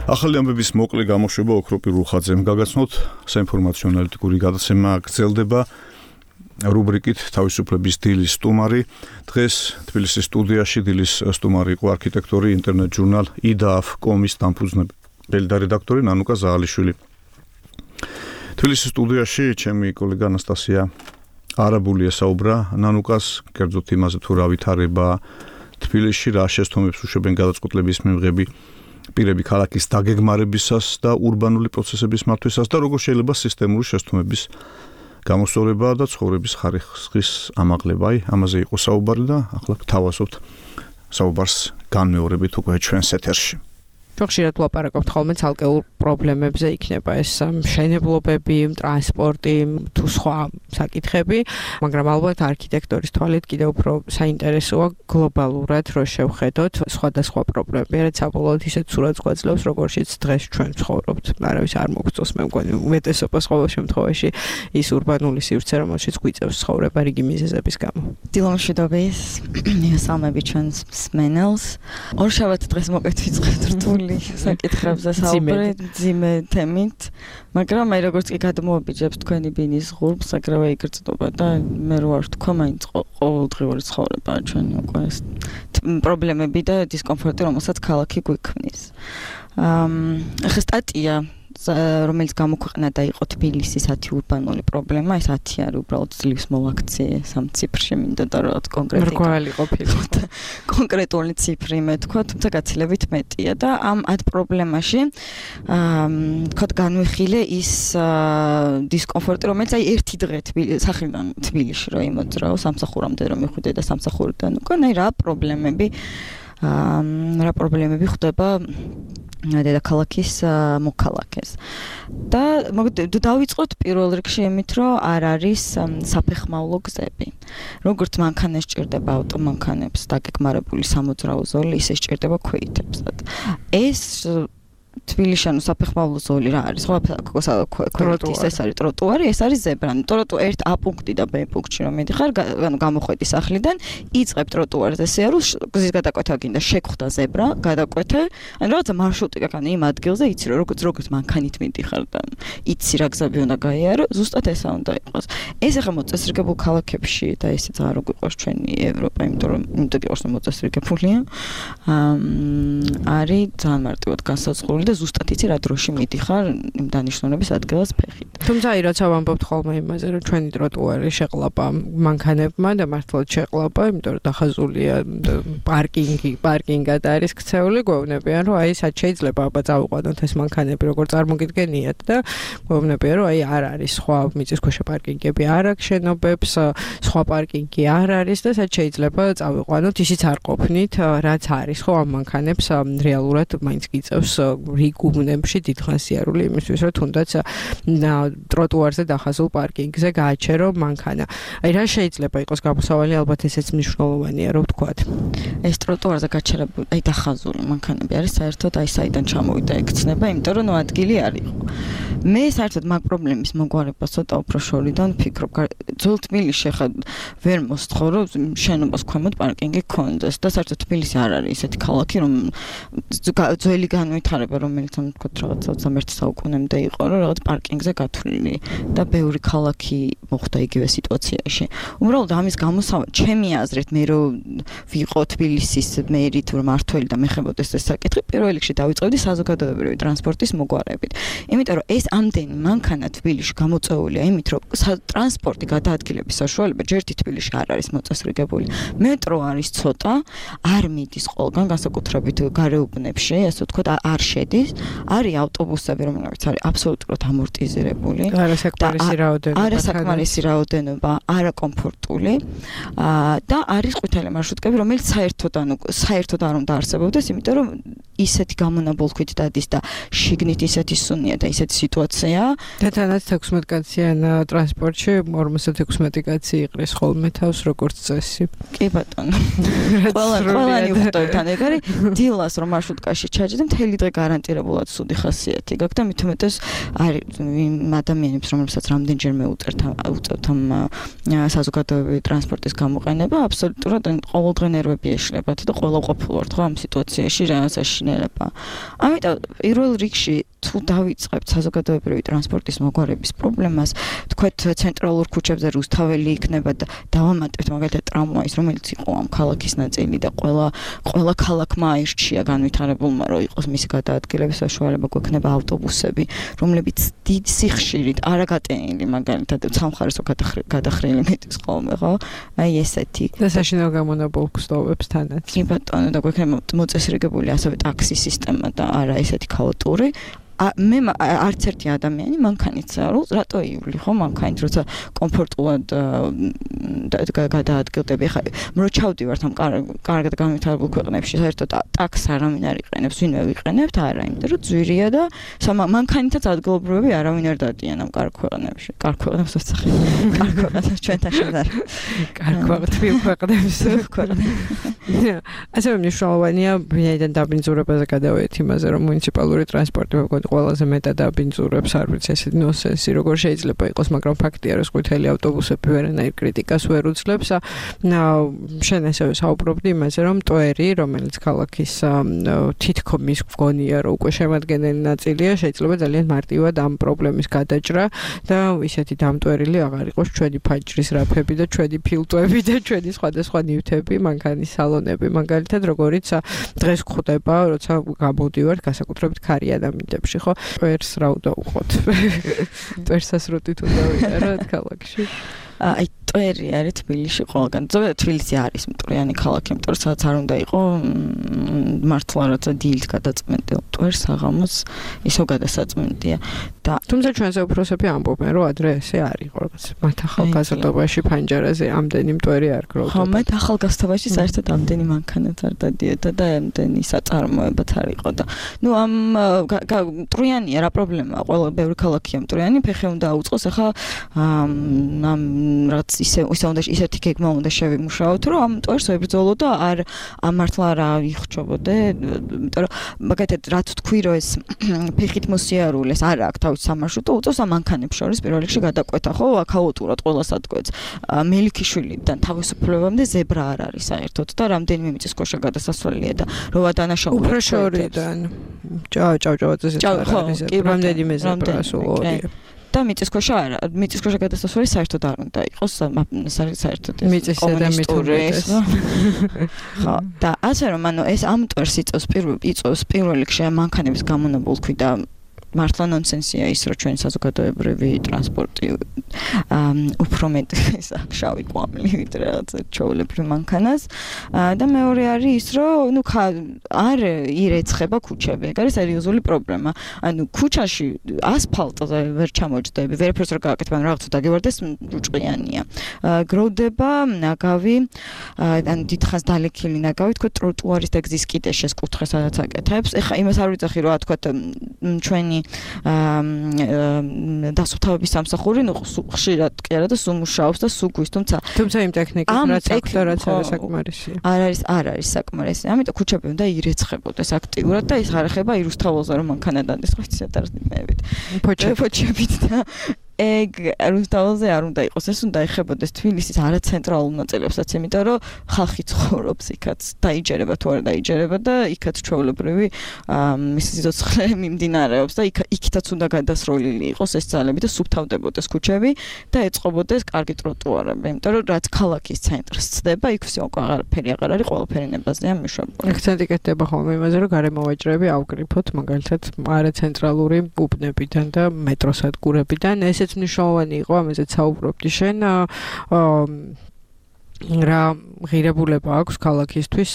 S3: ახალი ამბების მოკლე გამოშვება ოქროპი რუხაძემ გაგაცნოთ საინფორმაციო ანალიტიკური გადაცემა გრძელდება რუბრიკით თავისუფლების დილის სტუმარი. დღეს თბილისის სტუდიაში დილის სტუმარი იყო არქიტექტორი ინტერნეტ ჟურნალ idaf.com-ის დამფუძნებელი და რედაქტორი ნანუკა ზაალიშვილი. თბილისის სტუდიაში ჩემი კოლეგა ანასტასია არაბულია საუბრა ნანუკას კერძოდ იმაზე თუ რა ვითარება თბილისში, რა შესთქმებს უშვებენ გადაწყვეტილების მიღები პირები ქალაქის დაგეგმარებისას და ურბანული პროცესების მართვისას და როგორ შეიძლება სისტემური შესთქმების გამოსწორება და ცხოვრების ხარისხის ამაღლება. ამაზე იყო საუბარი და ახლა გთავაზობთ საუბარს განმეორებით უკვე ჩვენს ეთერში.
S2: ხშირად ვლაპარაკობთ ხოლმე ცალკეულ პრობლემებზე, იქნება ეს მშენებლობები, ტრანსპორტი თუ სხვა საკითხები, მაგრამ ალბათ არქიტექტორის თვალით კიდევ უფრო საინტერესოა გლობალურად რო შევხედოთ სხვადასხვა პრობლემები, რაც საბოლოოდ ისეთ სურათს გვაძლევს, როგორშიც დღეს ჩვენ ცხოვრობთ. არავის არ მოგწონს, მე მგონი უმეტესობას ყოველ შემთხვევაში ის ურბანული სივრცე, რომელშიც გვიწევს ცხოვრება რიგი მიზეზების გამო.
S4: დილომშვიდობის, მისალმები ჩვენს მსმენელს. ორშაბათ დღეს მოკეთვიწყებთ რთული საკითხებზე საუბარი ძიმე თემით, მაგრამ აი როგორც კი გადმოაბიჯებს თქვენი ბინის ღურბს, აგრევე იგრძნობა და მე რო არ თქვა, მაინც ყოველდღიური ცხოვრებაა ჩვენი უკვე ეს პრობლემები და დისკომფორტი, რომელსაც ქალაქი გვიქმნის. ახლა სტატია რომელიც გამოქვეყნა და იყო თბილისის 10 ურბანული პრობლემა, ეს 10 არის უბრალოდ ძლივს მოვაქციე სამ ციფრში, მინდა და რაღაც კონკრეტული ციფრი მეთქვა, თუმცა გაცილებით მეტია და ამ 10 პრობლემაში თქვა განვიხილე ის დისკომფორტი, რომელიც აი ერთი დღე სახლიდან თბილისში რო იმოძრაო, სამსახურამდე რომ მიხვიდე და სამსახურიდან უკვე რა პრობლემები ხდება დედაქალაქის მოქალაქეს. და დავიწყოთ პირველ რიგში იმით, რომ არ არის საფეხმავლო გზები. როგორც მანქანას ჭირდება ავტომანქანებს დაგეგმარებული სამოძრაო ზოლი, ისე ჭირდება ქვეითებსაც. ეს თბილისში საფეხმავლო ზოლი რა არის? ხო, ეს არის ტროტუარი, ეს არის ზებრა. ერთ A პუნქტი და B პუნქტში რომ მიდიხარ, გამოხვედი სახლიდან, იწყებ ტროტუარზე სიარულს, გზის გადაკვეთა გინდა, შეგხვდა ზებრა, გადაკვეთე, ან რაღაცა მარშრუტი გაყანე იმ ადგილზე, იცი რომ როგორც მანქანით მიდიხარ და იცი რა გზები უნდა გაიარო, ზუსტად ესა უნდა იყოს. ეს ახლა მოწესრიგებულ ქალაქებში და ესეც არ გვიყავს ჩვენი ევროპა, იმიტომ რომ მოწესრიგებულია. არის ძალიან მარტივად განსაზღვრული და ზუსტად იცი რა დროში მიდიხარ იმ დანიშნულების ადგილას ფეხით.
S2: თუმცა აი რაც ვამბობთ ხოლმე იმაზე რომ ჩვენი ტროტუარი შეყლაპა მანქანებმა და მართლაც შეყლაპა, იმიტომ რომ დახაზულია პარკინგად არის ქცეული, გვეუბნებიან რომ აი სად შეიძლება აბა წავიყვანოთ ეს მანქანები როგორ წარმოგიდგენიათ და გვეუბნებიან რომ აი არ არის სხვა მიწისქვეშა პარკინგები არ აქვს შენობებს, სხვა პარკინგი არ არის და სად შეიძლება წავიყვანოთ, ისიც არ ყოფნით, რაც არის ხო ამ მანქანებს რეალურად მაინც გიწევს რიგ უბნებში დიდხანს სიარული იმისთვის რომ თუნდაც ტროტუარზე დახაზულ პარკინგზე გააჩერო მანქანა. აი რა შეიძლება იყოს გამოსავალი, ალბათ ესეც მნიშვნელოვანია რომ ვთქვათ.
S4: ეს ტროტუარზე გაჩერებული, აი დახაზული მანქანები არის საერთოდ აი საიდან ჩამოვიდა ეკცნება, იმიტომ რომ ადგილი არ იყო. მე საერთოდ მაგ პრობლემის მოგვარებას ცოტა უფრო შორიდან ვფიქრობ. ძველ თბილისში ხა ვერ მოსთხოვ რომ შენობას ქვემოთ პარკინგი გქონდეს და საერთოდ თბილისი არ არის ესეთი ქალაქი რომ ძველი განვითარება რომელიც ამ თქო რაღაცა 21 საუკუნემდე იყო რომ რაღაც პარკინგზე გათვლილი და ბევრი ქალაქი მოხდა იგივე სიტუაციაში. უბრალოდ ამის გამოსავალი ჩემი აზრით მე რომ ვიყო თბილისის მერი თუ მართველი და მეხებოდეს ეს საკითხი პირველ რიგში დავიწყებდი საზოგადოებრივი ტრანსპორტის მოგვარებით. იმიტომ რომ ეს ამდენი მანქანა თბილისში გამოწეულია იმით რომ ტრანსპორტი გადაადგილების საშუალება ჯერ თბილისში არ არის მოწესრიგებული. მეტრო არის ცოტა, არ მიდის ყველგან განსაკუთრებით გარეუბნებში, ასე ვთქვათ, არ შედის. არის ავტობუსები, რომლებიც არის აბსოლუტურად ამორტიზირებული. არასაკმარისი რაოდენობა, არაკომფორტული. და არის ყვითელი მარშრუტკები, რომელიც საერთოდ არ უნდა არსებობდეს, იმიტომ რომ ისეთი გამონაბოლქვით დადის და შიგნით ისეთი სუნია და ისეთი სიტუაცია.
S2: და თანაც 16 კაციან ტრანსპორტში 56 კაცი იყრის ხოლმე თავს როგორც წესი.
S4: კი ბატონო. ყველანი უხდავთან ეგარი დილას რომ მარშრუტკაში ჩაჯდა მთელი დღე გარანტირებულად სუდი ხასიათი გაქვს და მით უმეტეს არის ადამიანებს რომლებსაც რამდენჯერმე უწევთ ამ საზოგადოებრივი ტრანსპორტის გამოყენება აბსოლუტურად ყოველდღე ნერვები ეშლებათ და ყველა ყოფილვართ ხო ამ სიტუაციაში რაღაცა შინელება. ამიტომ პირველ რიგში თუ დავიწყებთ საზოგადოებრივი ტრანსპორტის მოგვარების პრობლემას, თქვათ ცენტრალურ ქუჩებზე რუსთაველი იქნება და დავამატებთ მაგალითად ტრამვაის, რომელიც იყო ამ ქალაქის ნაწილი და ყველა ქალაქმა აირჩია განვითარებულმა რომ იყოს მისი გადაადგილების საშუალება, გვექნება ავტობუსები, რომლებიც დიდ სიხშირით არაგატენილი მაგალითად სამხარესო გადახრილი მეტის ხოლმე, ხო? აი ესეთი.
S2: და საშინაო გამონაბოლქვს ტოვებს თანაც.
S4: კი ბატონო, და გვექნება მოწესრიგებული ასევე ტაქსის სისტემა და არა ესეთი ქაოტური. მე არც ერთი ადამიანი მანქანით წავალ, რატო იული ხო მანქანით, როცა კომფორტულად გადაადგილდები. ხა რო ჩავდივართ ამ კარგად განვითარებულ ქვეყნებში, საერთოდ ტაქს არავინ არ იყენებს, ვინმე ვიყენებთ, არა, იმიტომ რომ ძვირია და მანქანითაც ადგილობრივები არავინ არ დადიან ამ კარგ ქვეყნებში. კარგ ქვეყნებს ვსახე. კარგ ქვეყნებს ჩვენთან შედარ.
S2: კარგ ქვეყნებს. ასევე მნიშვნელოვანია ვინაიდან დაბინძურებაზე გადავედით იმაზე, რომ მუნიციპალური ტრანსპორტი ყველაზე მეტად დაბინძურებს, არ ვიცი ეს ნონსენსი როგორ შეიძლება იყოს, მაგრამ ფაქტია რომ ყვითელი ავტობუსები ვერანაირ კრიტიკას ვერ უძლებს. შენ ასევე საუბრობდი იმაზე, რომ ტვერი, რომელიც ქალაქის თითქმის გონია რომ უკვე შემადგენელი ნაწილია, შეიძლება ძალიან მარტივად ამ პრობლემის გადაჭრა და ისეთი დამტვერილი აღარ იყოს ჩვენი ფაჭრის რაფები და ჩვენი ფილტვები და ჩვენი სხვადასხვა ნივთები, მანქანის სალონები, მაგალითად როგორიც დღეს გვხვდება, როცა გამოდივართ განსაკუთრებით ქარიან ამინდებში. ხო ტვერს რა უნდა უყოთ ტვერსას როტით უნდა ვიყაროთ ქალაქში
S4: აი ტვერი არის თბილისში ყველგან ზოგადად თბილისი არის მტვრიანი ქალაქი იმიტომ რომ სადაც არ უნდა იყო მართლა რაცა დილით გადაწმენდე ტვერს აღამოს ისო გადასაწმენდია და
S2: თუმცა ჩვენზე უფროსები ამბობენ რომ ადრე ესე არ იყო რაღაც მათ ახალგაზრდობაში ფანჯარაზე ამდენი მტვერი არ გროვდა
S4: ხო მათ ახალგაზრდობაში საერთოდ ამდენი მანქანაც არ დადიოდა და ამდენი საწარმოებაც არ იყო და ნუ ამ მტვრიანია რა პრობლემაა ყველა ბევრი ქალაქია მტვრიანი ფეხი უნდა აუწყოს ახლა ამ რაც ისეთი გეგმა უნდა შევიმუშაოთ რომ ამ ტვერს ვებრძოლო და არ მართლა რა იხჩობოდე იმიტომ რომ მაგათად რაც თქვი რომ ეს ფეხით მოსიარულეს არ აქვს თავის სამარშრუტო უწევს ამ მანქანებს შორის პირველ რიგში გადაკვეთა ხო ქაოტურად ყველას ატკვეთს მელიქიშვილიდან თავისუფლებამდე ზებრა არ არის საერთოდ და რამდენიმე მიწისქვეშა გადასასვლელია და როა დანაშაულები
S2: უფრო შორიდან ჭავჭავაძეზე არის რამდენიმე ზებრა სულ ორია
S4: და მიწისქვეშა არა, მიწისქვეშა გადასასვლელი საერთოდ არ უნდა იყოს, საერთოდ
S2: მიწისა და მითუმეტეს.
S4: ხო, და ასე რომ ანუ ეს ამტვერს იწევს პირველ რიგში მანქანების გამონაბოლქვი და მართლა ნონსენსია ის რომ ჩვენ საზოგადოებრივი ტრანსპორტი უფრო მეტ შავი კვამლი ვიდრე რაღაცა ჩვეულებრივ მანქანას და მეორე არის ის რომ არ ირეცხება ქუჩები. ეგ არის სერიოზული პრობლემა. ანუ ქუჩაში ასფალტზე ვერ ჩამოჯდები, ვერაფერს არ გააკეთებ, ანუ რაღაცა დაგევარდეს რუჭყიანია. გროვდება ნაგავი, ან დიდხანს დალექილი ნაგავი, თქო ტროტუარის და გზის კიდე შესკუთხე სადაც აკეთებს. ეხა იმას არ ვიცახი რომ თქო ჩვენი დასუფთავების სამსახური ხშირად კი არა და სულ მუშაობს და სულ გვის, თუმცა
S2: იმ ტექნიკით რაც აქვს და რაც არის საკმარისია.
S4: არ არის საკმარისი. ამიტომ ქუჩები უნდა ირეცხებოდეს აქტიურად და ის არ ეხება ირუსთაველზე რომ მანქანა დადეს, ხო იცით არ იმეებით. ფოჩებით და ეგ რუსთაველზე არ უნდა იყოს, ეს უნდა ეხებოდეს თბილისის არაცენტრალურ ნაწილებსაც, იმიტომ რომ ხალხი ცხოვრობს იქაც, დაიჯერება თუ არ დაიჯერება და იქაც ჩვეულებრივი მისი სიცოცხლე მიმდინარეობს და იქითაც უნდა გადასროლილი იყოს ეს ძალები და სუფთავდებოდეს ქუჩები და ეწყობოდეს კარგი ტროტუარები, იმიტომ რომ რაც ქალაქის ცენტრს ცდება, იქ всё აღარაფერი აღარ არის, ყველაფერი ნებაზეა მიშვებული.
S2: აქცენტი კეთდება ხოლმე იმაზე, რომ გარემოვაჭრები ავკრიფოთ, მაგალითად არაცენტრალური უბნებიდან და მეტროსადგურებიდან. ესეც მნიშვნელოვანი იყო, ამაზე საუბრობდი შენ. რა ღირებულება აქვს ქალაქისთვის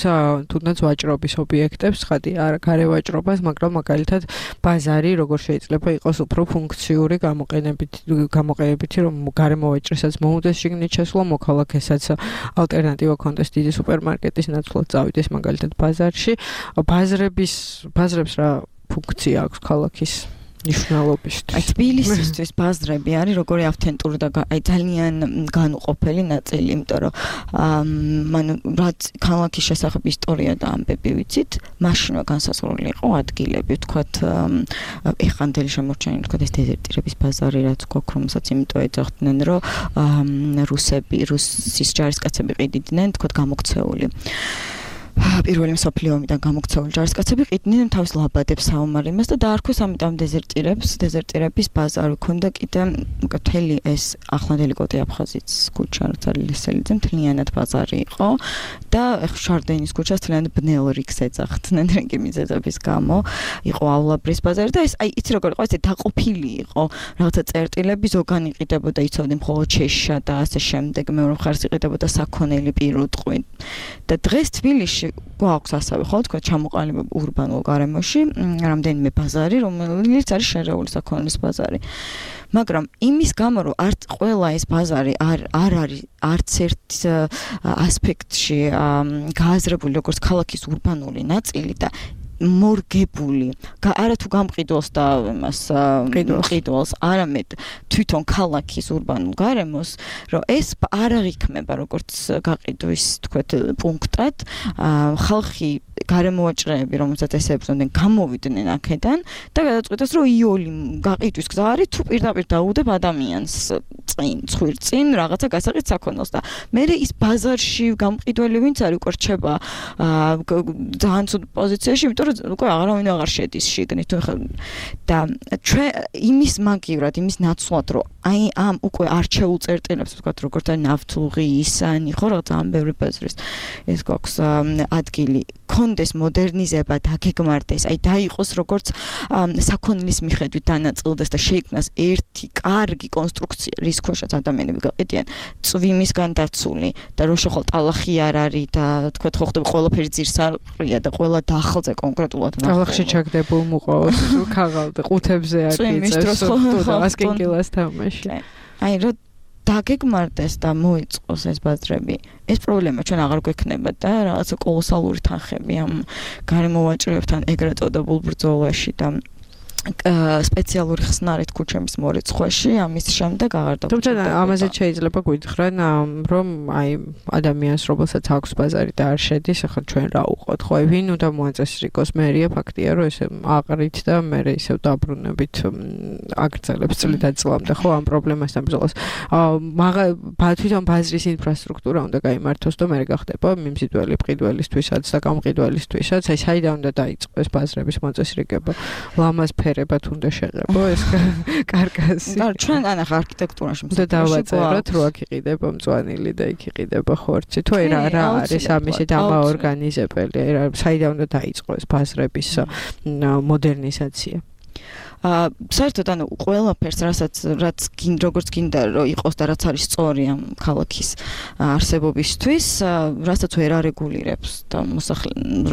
S2: თუნდაც ვაჭრობის ობიექტებს, ხადი არ გარევაჭრობას, მაგრამ მაგალითად ბაზარი როგორ შეიძლება იყოს უფრო ფუნქციური გამოყენებითი, რომ გარემოვაჭრესაც მოუწეს შიგნით შესვლა, მოქალაქესაც ალტერნატივა ქონდეს დიდი სუპერმარკეტის ნაცვლად წავიდეს მაგალითად ბაზარში. ბაზრებს რა ფუნქცია აქვს ქალაქის ნიშნულობისთვის.
S4: აი თბილისისთვის ბაზრები არის როგორი ავთენტური და აი ძალიან განუყოფელი ნაწილი, იმიტომ რომ რაც ქალაქის შესახებ ისტორია და ამბები ვიცით, მაშინვე განსაზღვრული იყო ადგილები, ვთქვათ, ეხანდელი შემორჩენილი, ვთქვათ, ეს დეზერტირების ბაზარი, რაც გვაქვს, რომელსაც იმიტომ ეძახდნენ, რომ რუსის ჯარისკაცები ყიდიდნენ, ვთქვათ, გამოქცეული. პირველი მსოფლიო ომიდან გამოქცეული ჯარისკაცები ყიდნენ თავის ლაბადებს საომარ იმას და დაარქვეს ამიტომ დეზერტირების ბაზარი. ქონდა კიდე მთელი ეს ახლანდელი კოტე აფხაზის ქუჩა, რაც არის ლესელიძე, მთლიანად ბაზარი იყო და შარდენის ქუჩას მთლიანად ბნელ რიგს ეძახდნენ რიგი მიზეზების გამო. იყოავლაბრის ბაზარი და ეს აი იცი როგორ იყო, ესე დაყოფილი იყო. რაღაცა წერტილები ზოგან იყიდებოდა, იცოდნენ მხოლოდ შეშა და ასე შემდეგ. მეორე მხარეს იყიდებოდა საქონელი პირუტყვი. და დღეს თბილისში გვაქვს ასევე ხო თქვა ჩამოყალიბება ურბანულ გარემოში რამდენიმე ბაზარი, რომელიც არის შერეული საქონლის ბაზარი. მაგრამ იმის გამო რომ არც ყველა ეს ბაზარი არ არის არც ერთ ასპექტში გააზრებული როგორც ქალაქის ურბანული ნაწილი და მორგებული, არა თუ გამყიდველს და იმას ყიდველს, არამედ თვითონ ქალაქის ურბანულ გარემოს, რომ ეს არ აღიქმება როგორც გაყიდვის, თქვათ, პუნქტად, ხალხი გარემოვაჭრეები, რომელსაც ესებზოდნენ, გამოვიდნენ აქედან და გადაწყვიტეს, რომ იოლი გაყიდვის გზა არის, თუ პირდაპირ დაუდებ ადამიანს წინ რაღაცა გასაყიდ საქონელს და მე ის ბაზარში გამყიდველი ვინც არის უკვე რჩება ძალიან ცუდ პოზიციაში, იმიტომ უკვე აღარავინ აღარ შედის შიგნით და ჩვენ იმის მაგივრად, იმის ნაცვლად, რომ აი ამ უკვე არჩეულ წერტილებს, ვთქვათ, როგორც არის ნავთლუღი, ისანი, ხო, რა ძალიან ბევრი ბაზრის ეს გვაქვს ადგილი, კონდეს მოდერნიზება, დაგეგმარდეს, აი დაიყოს როგორც საქონლის მიხედვით დანაწილდეს და შეიქმნას ერთი კარგი კონსტრუქცია, რის ქვეშაც ადამიანები გაყიდიან, წვიმისგან დაცული და რო შეხვალ ტალახი არ არის და თქვათ, ხო ხდება ყველაფერი ძირსარყრია და ყველა დახლზე კონკრეტულად
S2: ტალახში ჩაგდებულ მოყავს, ქაღალდა ყუთებზე აკიწევს, და ასკინკილას თამაში.
S4: აი რო დაგეგმარდეს და მოიწყოს ეს ბაზრები, ეს პრობლემა ჩვენ აღარ გვექნება და რაღაცა კოლოსალური თანხები ამ გარემოვაჭრეებთან ეგრეთ წოდებულ ბრძოლაში და სპეციალური ხსნარით ქუჩების მორიცხვაში ამის შემდეგ აღარ და
S2: თუმცა ამაზე შეიძლება გითხრან რომ აი ადამიანს რომელსაც აქვს ბაზარი და არ შედის ახლა ჩვენ რა უყოთ ხო ვინ უნდა მოაწესრიგოს მერია ფაქტია რომ ესე აყრით და მე ისევ დაბრუნებით აგრძელებს წლიდან-წლამდე ხო ამ პრობლემასთან ბრძოლას თვითონ ბაზრის ინფრასტრუქტურა უნდა გაიმართოს და მე გახდება მიმზიდველი მყიდველისთვისაც და გამყიდველისთვისაც აი საიდან უნდა დაიწყოს ბაზრების მოწესრიგება ლამაზ ფერებად უნდა შეღებო ეს კარკასი.
S4: და ჩვენ ანახ არქიტექტურაში
S2: და დავაწეროთ რო აქ იყიდება მწვანილი და იქ იყიდება ხორცი. თუ რა არის ამისი დამაორგანიზებელი, რა საიდან უნდა დაიწყო ეს ბაზრების მოდერნიზაცია.
S4: საერთოდ ანუ ყველაფერს რაც როგორც გინდა რომ იყოს და რაც არის სწორი ამ ქალაქის არსებობისთვის, რასაც ვერ არეგულირებს და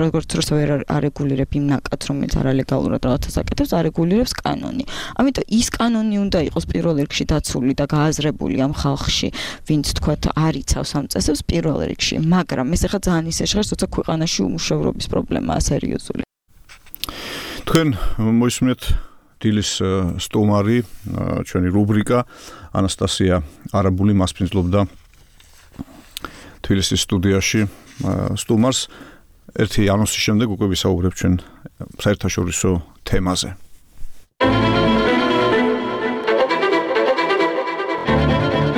S4: როგორც ვერ არეგულირებ იმ ნაკადს, რომელიც არალეგალურად რაღაცას აკეთებს, არეგულირებს კანონი. ამიტომ ის კანონი უნდა იყოს პირველ რიგში დაცული და გააზრებული ამ ხალხში, ვინც თქვათ არიცავს ამ წესებს პირველ რიგში, მაგრამ ეს ახლა ძალიან ისე ჟღერს, როცა ქვეყანაში უმუშევრობის პრობლემაა სერიოზული.
S3: თქვენ მოისმენთ დილის სტუმარი, ჩვენი რუბრიკა ანასტასია არაბული მასპინძლობდა თბილისის სტუდიაში სტუმარს. ერთი ანონსის შემდეგ უკვე ვისაუბრებთ ჩვენ საერთაშორისო თემაზე.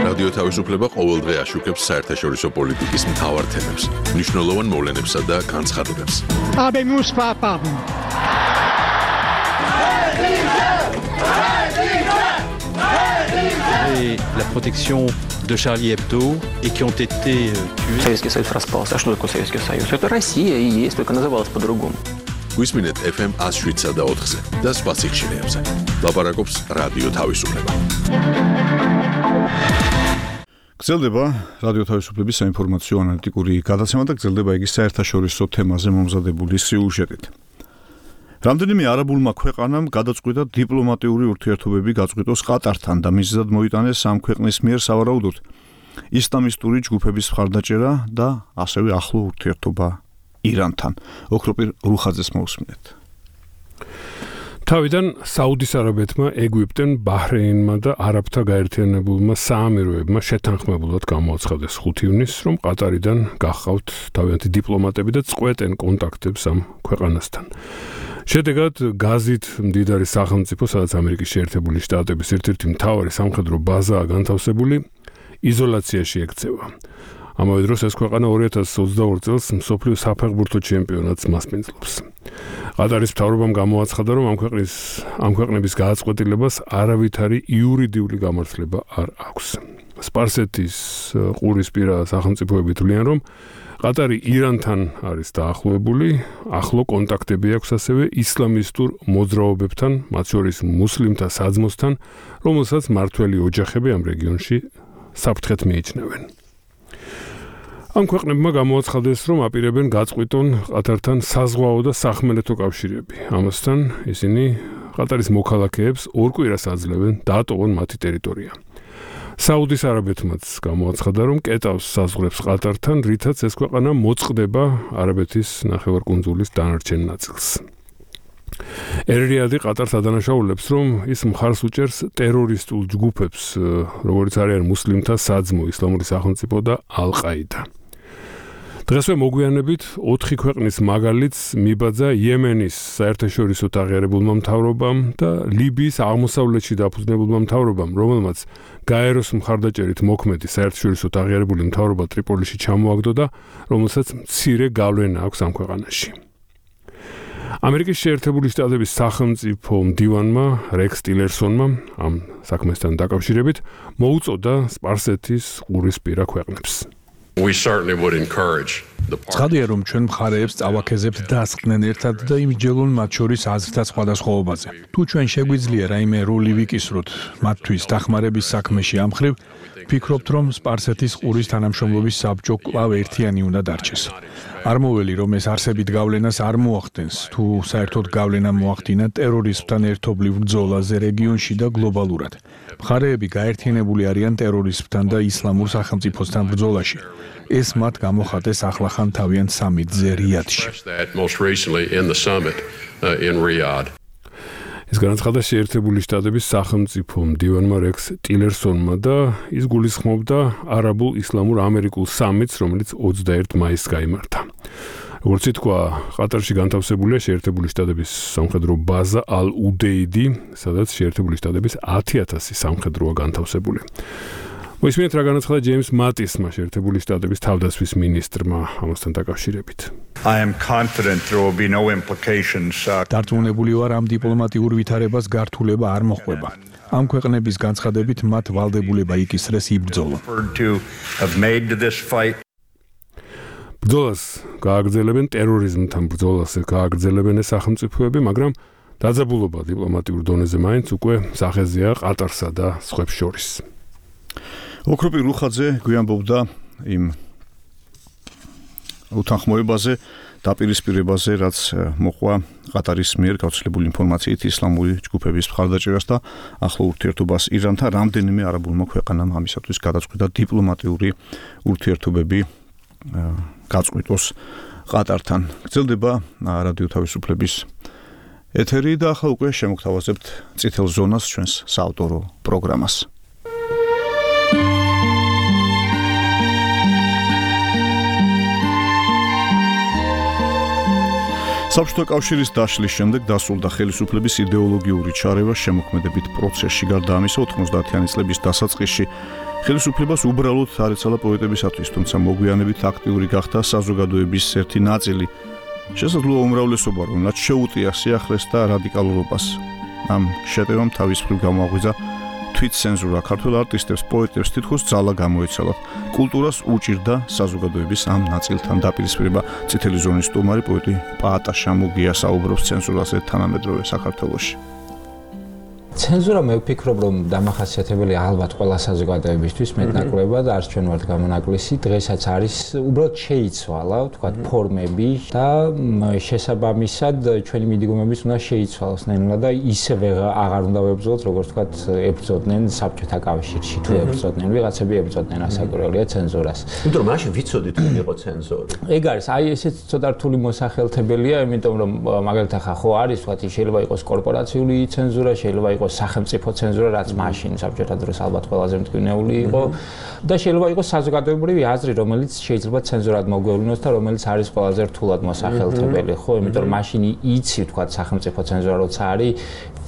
S1: რადიო თავისუფლება ყოველდღე აშუქებს საერთაშორისო პოლიტიკის მთავარ თემებს, მნიშვნელოვან მოვლენებსა და განცხადებებს.
S6: Et la protection de Charlie Hebdo et qui ont été tués.
S7: Советский Союз распался. А что такое Советский Союз? Это Россия и есть, только называлась по-другому.
S1: Გვისმინეთ FM 107 და 4-ზე და სხვა სიხშირეებზე. ლაპარაკობს რადიო თავისუფლება.
S3: გრძელდება რადიო თავისუფლების საინფორმაციო ანალიტიკური გადაცემა და გრძელდება იგი საერთაშორისო თემაზე მომზადებული სიუჟეტით. რამდენიმე არაბულმა ქვეყანამ გადაწყვიტა დიპლომატიური ურთიერთობები გაწყვიტოს ყატართან და მიზეზად მოიტანეს ამ ქვეყნის მიერ სავარაუდოდ ისლამისტური ჯგუფების მხარდაჭერა და ასევე ახლო ურთიერთობა ირანთან. ოქროპირ რუხაძეს მოусმინეთ.
S5: თავიდან საუდის არაბეთმა, ეგვიპტემ, ბაჰრეინმა და არაბთა გაერთიანებულმა საამიროებმა შეთანხმებულად გამოაცხადეს 5 ივნისს, რომ ყატარიდან გახავთ თავიანთი დიპლომატები და წყვეტენ კონტაქტებს ამ ქვეყანასთან. შედეგად გაზით მდიდარი სახელმწიფო, სადაც ამერიკის შეერთებული შტატების ერთ-ერთი მთავარი სამხედრო ბაზაა განთავსებული, იზოლაციაში ექცევა. ამავე დროს ეს ქვეყანა 2022 წელს მსოფლიო საფეხბურთო ჩემპიონატს მასპინძლობს. ყატარის მთავრობამ გამოაცხადა, რომ ამ ქვეყნების გააწყვეტილებას არავითარი იურიდიული გამართლება არ აქვს. სპარსეთის ყურისპირა სახელმწიფოები თვლიან, რომ ყატარი ირანთან არის დაახლოებული, ახლო კონტაქტები აქვს ასევე ისლამისტურ მოძრაობებთან, მათ შორის მუსლიმთა საძმოსთან, რომელსაც მართველი ოჯახები ამ რეგიონში საფრთხეთ მიიჩნევენ. ამ ქვეყნებმა გამოაცხადეს, რომ აპირებენ გაწყვიტონ ყატართან საზღვაო და სახმელეთო კავშირები. ამასთან ისინი ყატარის მოქალაქეებს 2 კვირას აძლევენ დაატოვონ მათი ტერიტორია. საუდის არაბეთმაც გამოაცხადა, რომ კეტავს საზღვრებს ყატართან, რითაც ეს ქვეყანა მოწყდება არაბეთის ნახევარკუნძულის დანარჩენ ნაწილს. ერ-რიადი ყატარს ადანაშაულებს, რომ ის მხარს უჭერს ტერორისტულ ჯგუფებს, როგორც არიან მუსლიმთა საძმო, ისლამური სახელმწიფო და ალ-ყაიდა. დღესვე მოგვიანებით 4 ქვეყნის მაგალითს მიბაძა იემენის საერთაშორისო აღიარებულმა მთავრობამ და ლიბიის აღმოსავლეთში დაფუძნებულმა მთავრობამ, რომელმაც გაეროს მხარდაჭერით მოქმედი საერთაშორისო აღიარებული მთავრობა ტრიპოლიში ჩამოაგდო და რომელსაც მცირე გავლენა აქვს ამ ქვეყანაში. ამერიკის შეერთებული შტატების სახელმწიფო მდივანმა რექს ტილერსონმა ამ საქმესთან დაკავშირებით მოუწოდა სპარსეთის ყურისპირა ქვეყნებს.
S24: We certainly would encourage ცხადია, რომ ჩვენ მხარეებს წავაქეზებთ დასხდნენ ერთად და იმსჯელონ მათ შორის აზრთა სხვადასხვაობაზე. თუ ჩვენ შეგვიძლია რაიმე როლი ვიკისროთ მათთვის დახმარების საქმეში ამ მხრივ, ვფიქრობთ, რომ სპარსეთის ყურის თანამშრომლობის საბჭო კვლავ ერთიანი უნდა დარჩეს. არ მოველი, რომ ეს არსებით გავლენას არ მოახდენს, თუ საერთოდ გავლენა მოახდინა ტერორიზმთან ერთობლივ ბრძოლაზე რეგიონში და გლობალურად. მხარეები გაერთიანებული არიან ტერორიზმთან და ისლამურ სახელმწიფოსთან ბრძოლაში. ეს მათ გამოხატეს ახლახან თავიანთ სამიტზე რიადში. ეს განაცხადა შეერთებული შტატების სახელმწიფო მდივანმა რექს ტილერსონმა და ის გულისხმობდა არაბულ ისლამურ ამერიკულ სამიტს, რომელიც 21 მაისს გაიმართა. როგორც ითქვა, ყატარში განთავსებულია შეერთებული შტატების სამხედრო ბაზა ალ-უდეიდი, სადაც შეერთებული შტატების 10,000 სამხედროა განთავსებული. მოისმინეთ, რა განაცხადა ჯეიმს მატისმა, შეერთებული შტატების თავდაცვის მინისტრმა ამასთან დაკავშირებით.
S8: I am confident there will be no implications.
S24: დარწმუნებული ვარ, ამ დიპლომატიურ ვითარებას გართულება არ მოხვდება. ამ ქვეყნების განცხადებით მათ ვალდებულება იკისრეს იბრძოლო.
S9: ბრძოლას გააგრძელებენ ტერორიზმთან ბრძოლას გააგრძელებენ სახელმწიფოები, მაგრამ დაძაბულობა დიპლომატიურ დონეზე მაინც უკვე სახეზეა ყატარსა და სხვებს შორის.
S3: ოქროპი რუხაძე გვიანბობდა იმ უთანხმოებაზე, დაპირისპირებაზე, რაც მოყვა ყატარის მიერ გავრცელებული ინფორმაციით ისლამური ჯგუფების მხარდაჭერას და ახლო ურთიერთობას ირანთან. რამდენიმე არაბულმა ქვეყანამ ამისათვის გადაწყვიტა დიპლომატიური ურთიერთობები გაწყვიტოს ყატართან. გრძელდება რადიო თავისუფლების ეთერი და ახლა უკვე შემოგთავაზებთ წითელ ზონას, ჩვენს საავტორო პროგრამას. საბჭოთა კავშირის დაშლის შემდეგ დასრულდა ხელისუფლების იდეოლოგიური ჩარევა შემოქმედებით პროცესში. გარდა ამისა, 90-იანი წლების დასაწყისში ხელისუფლებას უბრალოდ არ ეცალა პოეტებისათვის, თუმცა მოგვიანებით აქტიური გახდა საზოგადოების ერთი ნაწილი. შესაძლოა უმრავლესობა, რომელსაც შეუტია სიახლეს და რადიკალურობას. ამ შეტევამ თავის მხრივ გამოაღვიძა თვითცენზურა. ქართველ არტისტებს, პოეტებს თითქოს ძალა გამოეცალათ. კულტურას უჭირდა საზოგადოების ამ ნაწილთან დაპირისპირება. წითელი ზონის სტუმარი პოეტი პაატა შამუგია საუბრობს ცენზურაზე თანამედროვე საქართველოში.
S10: ცენზურა მე ვფიქრობ, რომ დამახასიათებელია ალბათ ყველა საზოგადოებისთვის მეტნაკლებად, არც ჩვენ ვართ გამონაკლისი, დღესაც არის უბრალოდ შეიცვალა, თქვა ფორმები და შესაბამისად ჩვენი მიდგომებიც უნდა შეიცვალოს ნელა და ისევე აღარ უნდა ვებრძოლოთ, როგორც თქვა ებრძოდნენ საბჭოთა კავშირში, თუ ებრძოდნენ, ვიღაცები ებრძოდნენ, ასაკურველია ცენზურას.
S21: იმიტომ რომ მაშინ ვიცოდით რომ იყო ცენზური.
S10: ეგ არის, აი ესეც ცოტა რთული მოსახელთებელია, იმიტომ რომ მაგალითად ხო არის, თქვა შეიძლება იყოს კორპორაციული ცენზურა, შეიძლება იყოს სახელმწიფო ცენზურა, რაც მაშინ საბჭოთა დროს ალბათ ყველაზე მტკივნეული იყო და შეიძლება იყოს საზოგადოებრივი აზრი, რომელიც შეიძლება ცენზურად მოგვევლინოს და რომელიც არის ყველაზე რთულად მოსახელთებელი, ხო? იმიტომ რომ მაშინ იცი, თქვა სახელმწიფო ცენზურა როცა არის,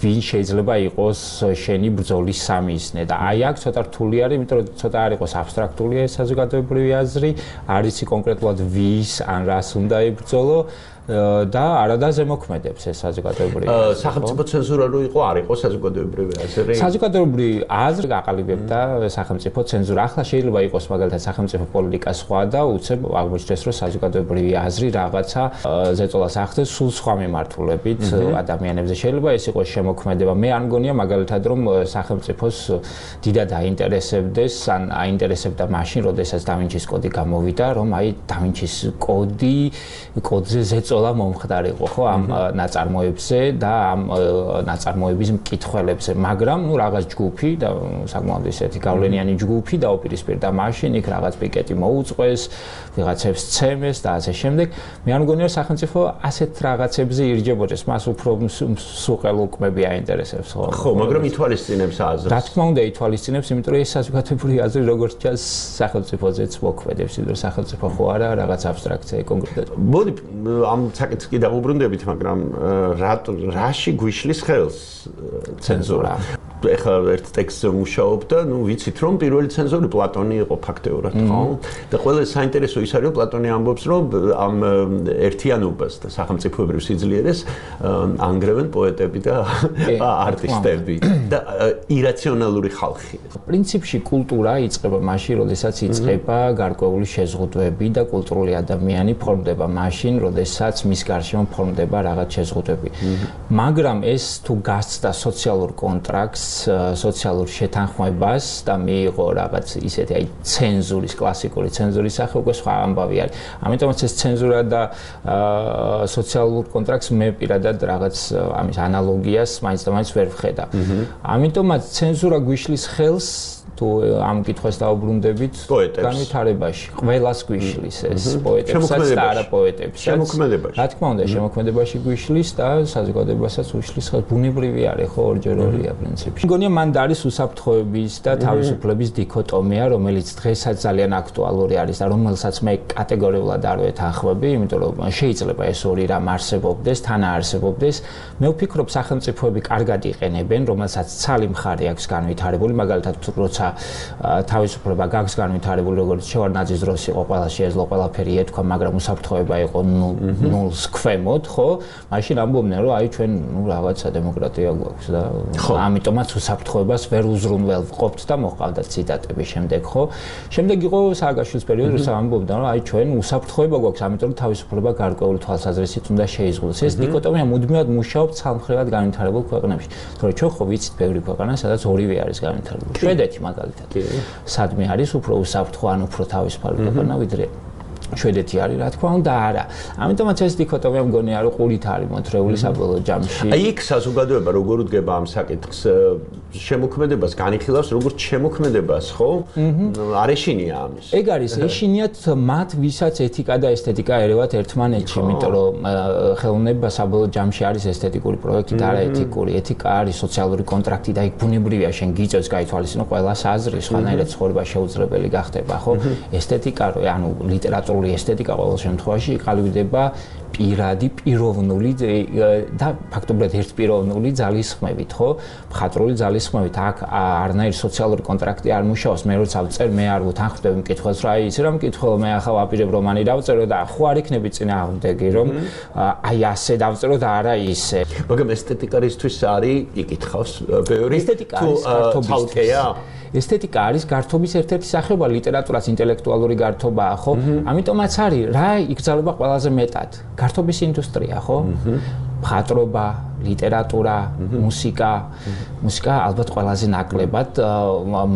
S10: ვინ შეიძლება იყოს შენი ბრძოლის სამიზნე და აი აქ ცოტა რთული არის, იმიტომ რომ ცოტა არ იყოს აბსტრაქტულია ეს საზოგადოებრივი აზრი, არ იცი კონკრეტულად ვის ან რას უნდა იბრძოლო და არადა ზემოქმედებს ეს საზოგადოებრივი აზრი.
S21: სახელმწიფო ცენზურა რო იყო, არ იყო საზოგადოებრივი აზრი.
S10: საზოგადოებრივი აზრი გაყალიბებდა სახელმწიფო ცენზურა. ახლა შეიძლება იყოს მაგალითად სახელმწიფო პოლიტიკა სხვა და უცებ აღმოჩნდეს, რომ საზოგადოებრივი აზრი რაღაცა ზეწოლას ახდენს სულ სხვა მიმართულებით ადამიანებზე. შეიძლება ეს იყოს შემოქმედება. მე არ მგონია მაგალითად, რომ სახელმწიფოს დიდად აინტერესებდეს, ან აინტერესებდა მაშინ, როდესაც დავინჩის კოდი გამოვიდა, რომ აი დავინჩის კოდზე ზეწოლა მომხდარიყო ხო ამ ნაწარმოებზე და ამ ნაწარმოების მკითხველებზე, მაგრამ ნუ რაღაც ჯგუფი და საკმაოდ ისეთი გავლენიანი ჯგუფი დაუპირისპირდა მაშინ, იქ რაღაც პიკეტი მოუწყვეს, ვიღაცებს ცემეს და ასე შემდეგ. მე არ მგონია სახელმწიფო ასეთ რაღაცებზე ირჯებოდეს, მას უფრო სუყელ უკმები აინტერესებს ხო?
S21: ხო, მაგრამ ითვალისწინებს აზრს.
S10: რა თქმა უნდა, ითვალისწინებს, იმიტომ რომ ეს საზოგადოებრივი აზრი როგორც ჩანს სახელმწიფოზეც მოქმედებს, იმიტომ რომ სახელმწიფო ხო არა რაღაც აბსტრაქცია კონკრეტულად.
S21: მოდი ამ საკითხს კი დავუბრუნდებით, მაგრამ რაში გვიშლის ხელს ცენზურა? ეხლა ერთ ტექსტზე მუშაობ და ნუ ვიცით რომ პირველი ცენზორი პლატონი იყო ფაქტეურად, ხო? და ყველა საინტერესო ის არის რომ პლატონი ამბობს რომ ამ ერთიანობას და სახელმწიფოებრივ სიძლიერეს ანგრევენ პოეტები და არტისტები და ირაციონალური ხალხი.
S10: პრინციპში კულტურა იწყება მაშინ, როდესაც იწყება გარკვეული შეზღუდვები და კულტურული ადამიანი ფორმდება მაშინ, როდესაც მის გარშემო ფორმდება რაღაც შეზღუდვები. მაგრამ ეს თუ გასცდა სოციალურ კონტრაქტს, სოციალურ შეთანხმებას და მიიღო რაღაც ისეთი აი ცენზურის, კლასიკური ცენზურის სახე, უკვე სხვა ამბავი არის. ამიტომაც ეს ცენზურა და სოციალურ კონტრაქტს მე პირადად რაღაც ამის ანალოგიას მაინც და მაინც ვერ ვხედავ. ამიტომაც ცენზურა გვიშლის ხელს თუ ამ კითხვას დაუბრუნდებით განვითარებაში ყველას გვიშლის ეს პოეტებსაც და არა პოეტებსაც
S21: შემოქმედებაში.
S10: რა თქმა უნდა, შემოქმედებაში გვიშლის და საზოგადოებასაც უშლის ხელს. ბუნებრივი არის ხო, ორჯერორია პრინციპში. მგონია მანდ არის უსაფრთხოების და თავისუფლების დიქოტომია, რომელიც დღესაც ძალიან აქტუალური არის და რომელსაც მე კატეგორიულად არ ვეთანხმები, იმიტომ რომ შეიძლება ეს ორი რამ არსებობდეს, თან არსებობდეს. მე ვფიქრობ, სახელმწიფოები კარგად იყენებენ, რომელსაც ცალი მხარე აქვს განვითარებული, მაგალითად როცა თავისუფლება გაქვს განვითარებული, როგორც შევარდნაძის დროს იყო, ყველა შეეძლო ყველაფერი ეთქვა, მაგრამ უსაფრთხოება იყო ნულს ქვემოთ, ხო? მაშინ ამბობდნენ, რომ აი ჩვენ რაღაცა დემოკრატია გვაქვს და ამიტომაც უსაფრთხოებას ვერ უზრუნველყოფთ და მოყავდა ციტატები შემდეგ, ხო? შემდეგ იყო სააკაშვილის პერიოდი, როცა ამბობდა, რომ აი ჩვენ უსაფრთხოება გვაქვს, ამიტომ თავისუფლება გარკვეული თვალსაზრისით უნდა შეიზღუდოს. ეს დიქოტომია მუდმივად მუშაობს ცალმხრივად განვითარებულ ქვეყნებში. თორე ჩვენ ხო ვიცით ბევრი ქვეყანა, სადაც ორივე არის განვითარებული. შვედეთი მაგალითად. სადმე არის უფრო უსაფრთხო ან უფრო თავისუფალი ქვეყანა ვიდრე შვედეთი არის, რა თქმა უნდა, არა. ამიტომაც ეს დიქოტომია მგონია, რომ ყურით არის მოთრეული საბოლოო ჯამში.
S21: აი იქ საზოგადოება როგორ უდგება ამ საკითხს? შემოქმედებას განიხილავს როგორც შემოქმედებას, ხო? არ ეშინია ამის.
S10: ეგ არის, ეშინიათ მათ, ვისაც ეთიკა და ესთეტიკა ერევათ ერთმანეთში, იმიტომ რომ ხელოვნება საბოლოო ჯამში არის ესთეტიკური პროექტი და არა ეთიკური. ეთიკა არის სოციალური კონტრაქტი და იქ ბუნებრივია შენ გიწევს გაითვალისწინო ყველას აზრი, სხვანაირად ცხოვრება შეუძლებელი გახდება, ხო? ესთეტიკა, ანუ ლიტერატურული ესთეტიკა ყოველ შემთხვევაში იყალიბდება პირადი, პიროვნული და ფაქტობრივად ერთპიროვნული ძალისხმევით, ხო? მხატვრული ძალისხმევით. აქ არნაირი სოციალური კონტრაქტი არ მუშაობს. მე როცა ვწერ, მე არ ვუთანხმდები მკითხველს, რა იცი რა მკითხველო, მე ახლა ვაპირებ რომანი დავწერო და ხო არ იქნები წინააღმდეგი, რომ აი ასე დავწერო და არა ისე.
S21: მაგრამ ესთეტიკარისთვის არის იკითხავს ბევრი
S10: ესთეტიკა არის გართობისთვის. ესთეტიკა არის გართობის ერთ-ერთი სახეობა, ლიტერატურაც ინტელექტუალური გართობაა, ხო? ამიტომაც არის, რა იგრძელება ყველაზე მეტად? გართობის ინდუსტრია, ხო? მხატვრობა, ლიტერატურა, მუსიკა ალბათ ყველაზე ნაკლებად,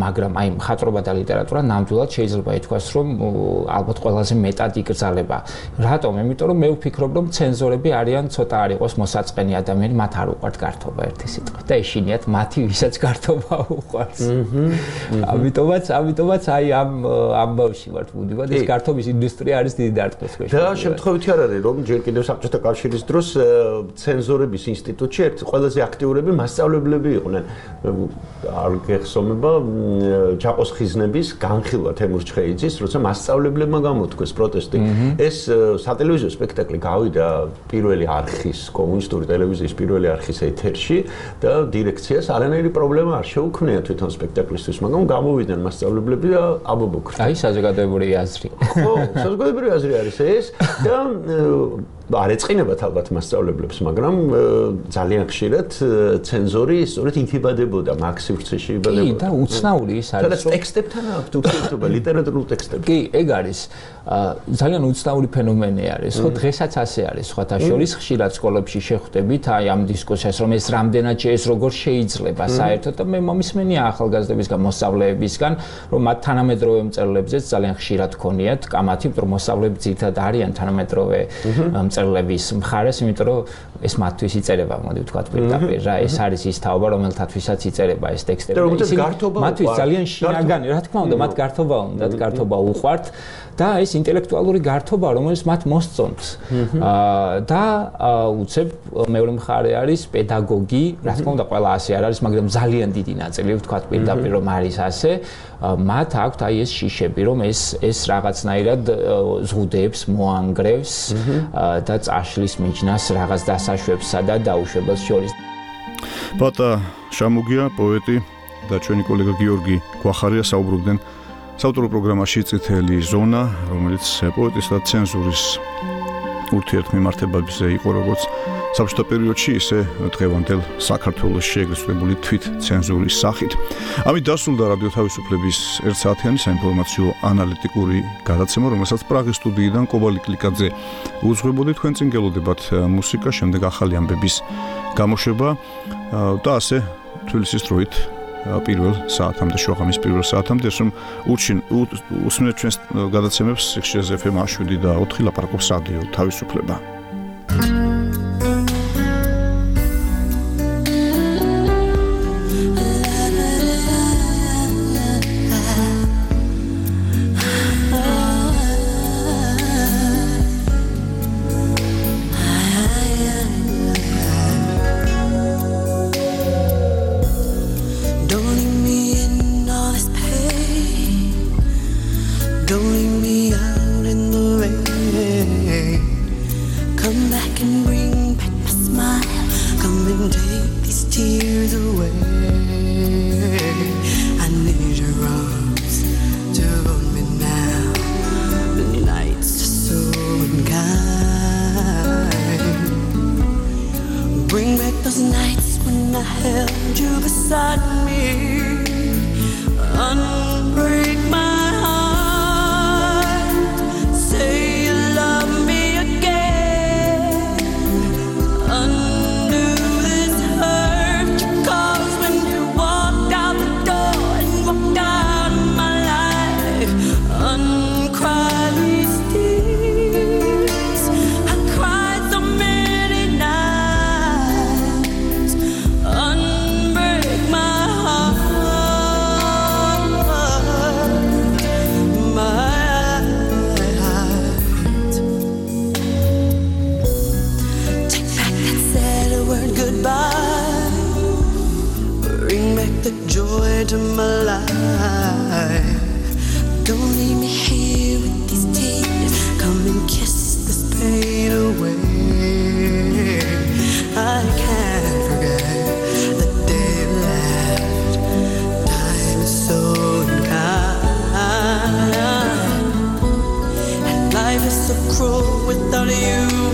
S10: მაგრამ აი მხატვრობა და ლიტერატურა ნამდვილად შეიძლება ითქვას, რომ ალბათ ყველაზე მეტად იგრძელება. რატომ? იმიტომ რომ მე ვფიქრობ, რომ ცენზორები არიან ცოტა არ იყოს მოსაწყენი ადამიანი, მათ არ უყვართ გართობა ერთი სიტყვით და ეშინიათ მათი, ვისაც გართობა უყვარს. ამიტომაც აი ამ ბავში ვართ მუდმივად, ეს გართობის ინდუსტრია არის დიდი დარტყმის ქვეშ.
S21: და შემთხვევითი არ არის, რომ ჯერ კიდევ საბჭოთა კავშირის დროს ცენზორების ინსტიტუტში ერთ ყველაზე აქტიურები მასწავლებლები იყვნენ. არ გეხსოვნება ჯაყოს ხიზნების განხილვა თემურ ჩხეიძის, როცა მასწავლებლებმა გამოთქვეს პროტესტი. ეს სატელევიზიო სპექტაკლი გავიდა პირველი არხის, კომუნისტური ტელევიზიის პირველი არხის ეთერში და დირექციას არანაირი პრობლემა არ შეუქმნია თვითონ სპექტაკლისთვის, მაგრამ გამოვიდნენ მასწავლებლები და აბობოქრა.
S10: აი საზოგადოებრივი აზრი.
S21: ხო, საზოგადოებრივი აზრი არის ეს და არ ეწყინებათ ალბათ მასწავლებლებს, მაგრამ ძალიან ხშირად ცენზორი სწორედ იქიბადებოდა, მაგ სივრცეში იბადებოდა.
S10: კი, და უცნაური ის არის,
S21: რომ ტექსტებთან აქვს ურთიერთობა, ლიტერატურულ ტექსტებთან.
S10: კი, ეგ არის. ძალიან უცნაური ფენომენი არის, ხო, დღესაც ასე არის, სხვათა შორის ხშირად სკოლებში შეხვდებით აი ამ დისკუსიას, რომ ეს რამდენად ეს როგორ შეიძლება საერთოდ და მე მომისმენია ახალგაზრდებისგან, მოსწავლეებისგან, რომ მათ თანამედროვე მწერლებზეც ძალიან ხშირად ქონიათ კამათი, რომ მოსწავლეები ძირითადად არიან თანამედროვე მწერლების მხარეს, იმიტომ რომ ეს მათთვის იწერება, მოდი ვთქვათ პირდაპირ რა, ეს არის ის თაობა, რომელთათვისაც იწერება ეს ტექსტები. მათთვის ძალიან შინაგანი, რა თქმა უნდა, მათ გართობა უნდათ, გართობა უყვართ და ეს ინტელექტუალური გართობა, რომელიც მათ მოსწონთ. და უცებ მეორე მხარე არის პედაგოგი, რა თქმა უნდა, ყველა ასე არ არის, მაგრამ ძალიან დიდი ნაწილი ვთქვათ პირდაპირ რომ არის ასე. მათ აქვთ აი ეს შიშები, რომ ეს რაღაცნაირად ზღუდეებს, მოანგრევს და წაშლის მიჯნას რაღაც დასაშვებსა და დაუშვებელს შორის.
S3: ბატა შამუგია, პოეტი და ჩვენი კოლეგა გიორგი გვახარია საუბრობდნენ საავტორო პროგრამაში წითელი ზონა, რომელიც პოეტის და ცენზურის ურთიერთმემართებებზე იყო როგორც საბჭოთა პერიოდში, ისე დღევანდელ საქართველოში ეგრეთ წოდებული თვით ცენზურის სახით. ამით დასრულდა რადიო თავისუფლების 1 საათიანი საინფორმაციო ანალიტიკური გადაცემა, რომელსაც პრაღის სტუდიიდან კობალი კლიკაძე უძღვებოდი. თქვენ წინ გელოდებათ მუსიკა, შემდეგ ახალი ამბების გამოშვება და ასე თბილისის დროით პირველ საათამდე, შუაღამის პირველ საათამდე, რომ უსმენთ ჩვენს გადაცემებს სიხშირეზე FM 7 და 4 ლაპარაკობს რადიო თავისუფლება.
S11: inside me. Unbreak my heart. Say you love me again. Undo this hurt you caused when you walked out the door and walked out of my life. Uncry these tears. I cried so many nights. Unbreak my heart. Take back that sad word goodbye. Bring back the joy to my life. Don't leave me here with these tears. Come and kiss this pain away. I can't forget the day you left. Time is so unkind, and life is so cruel without you.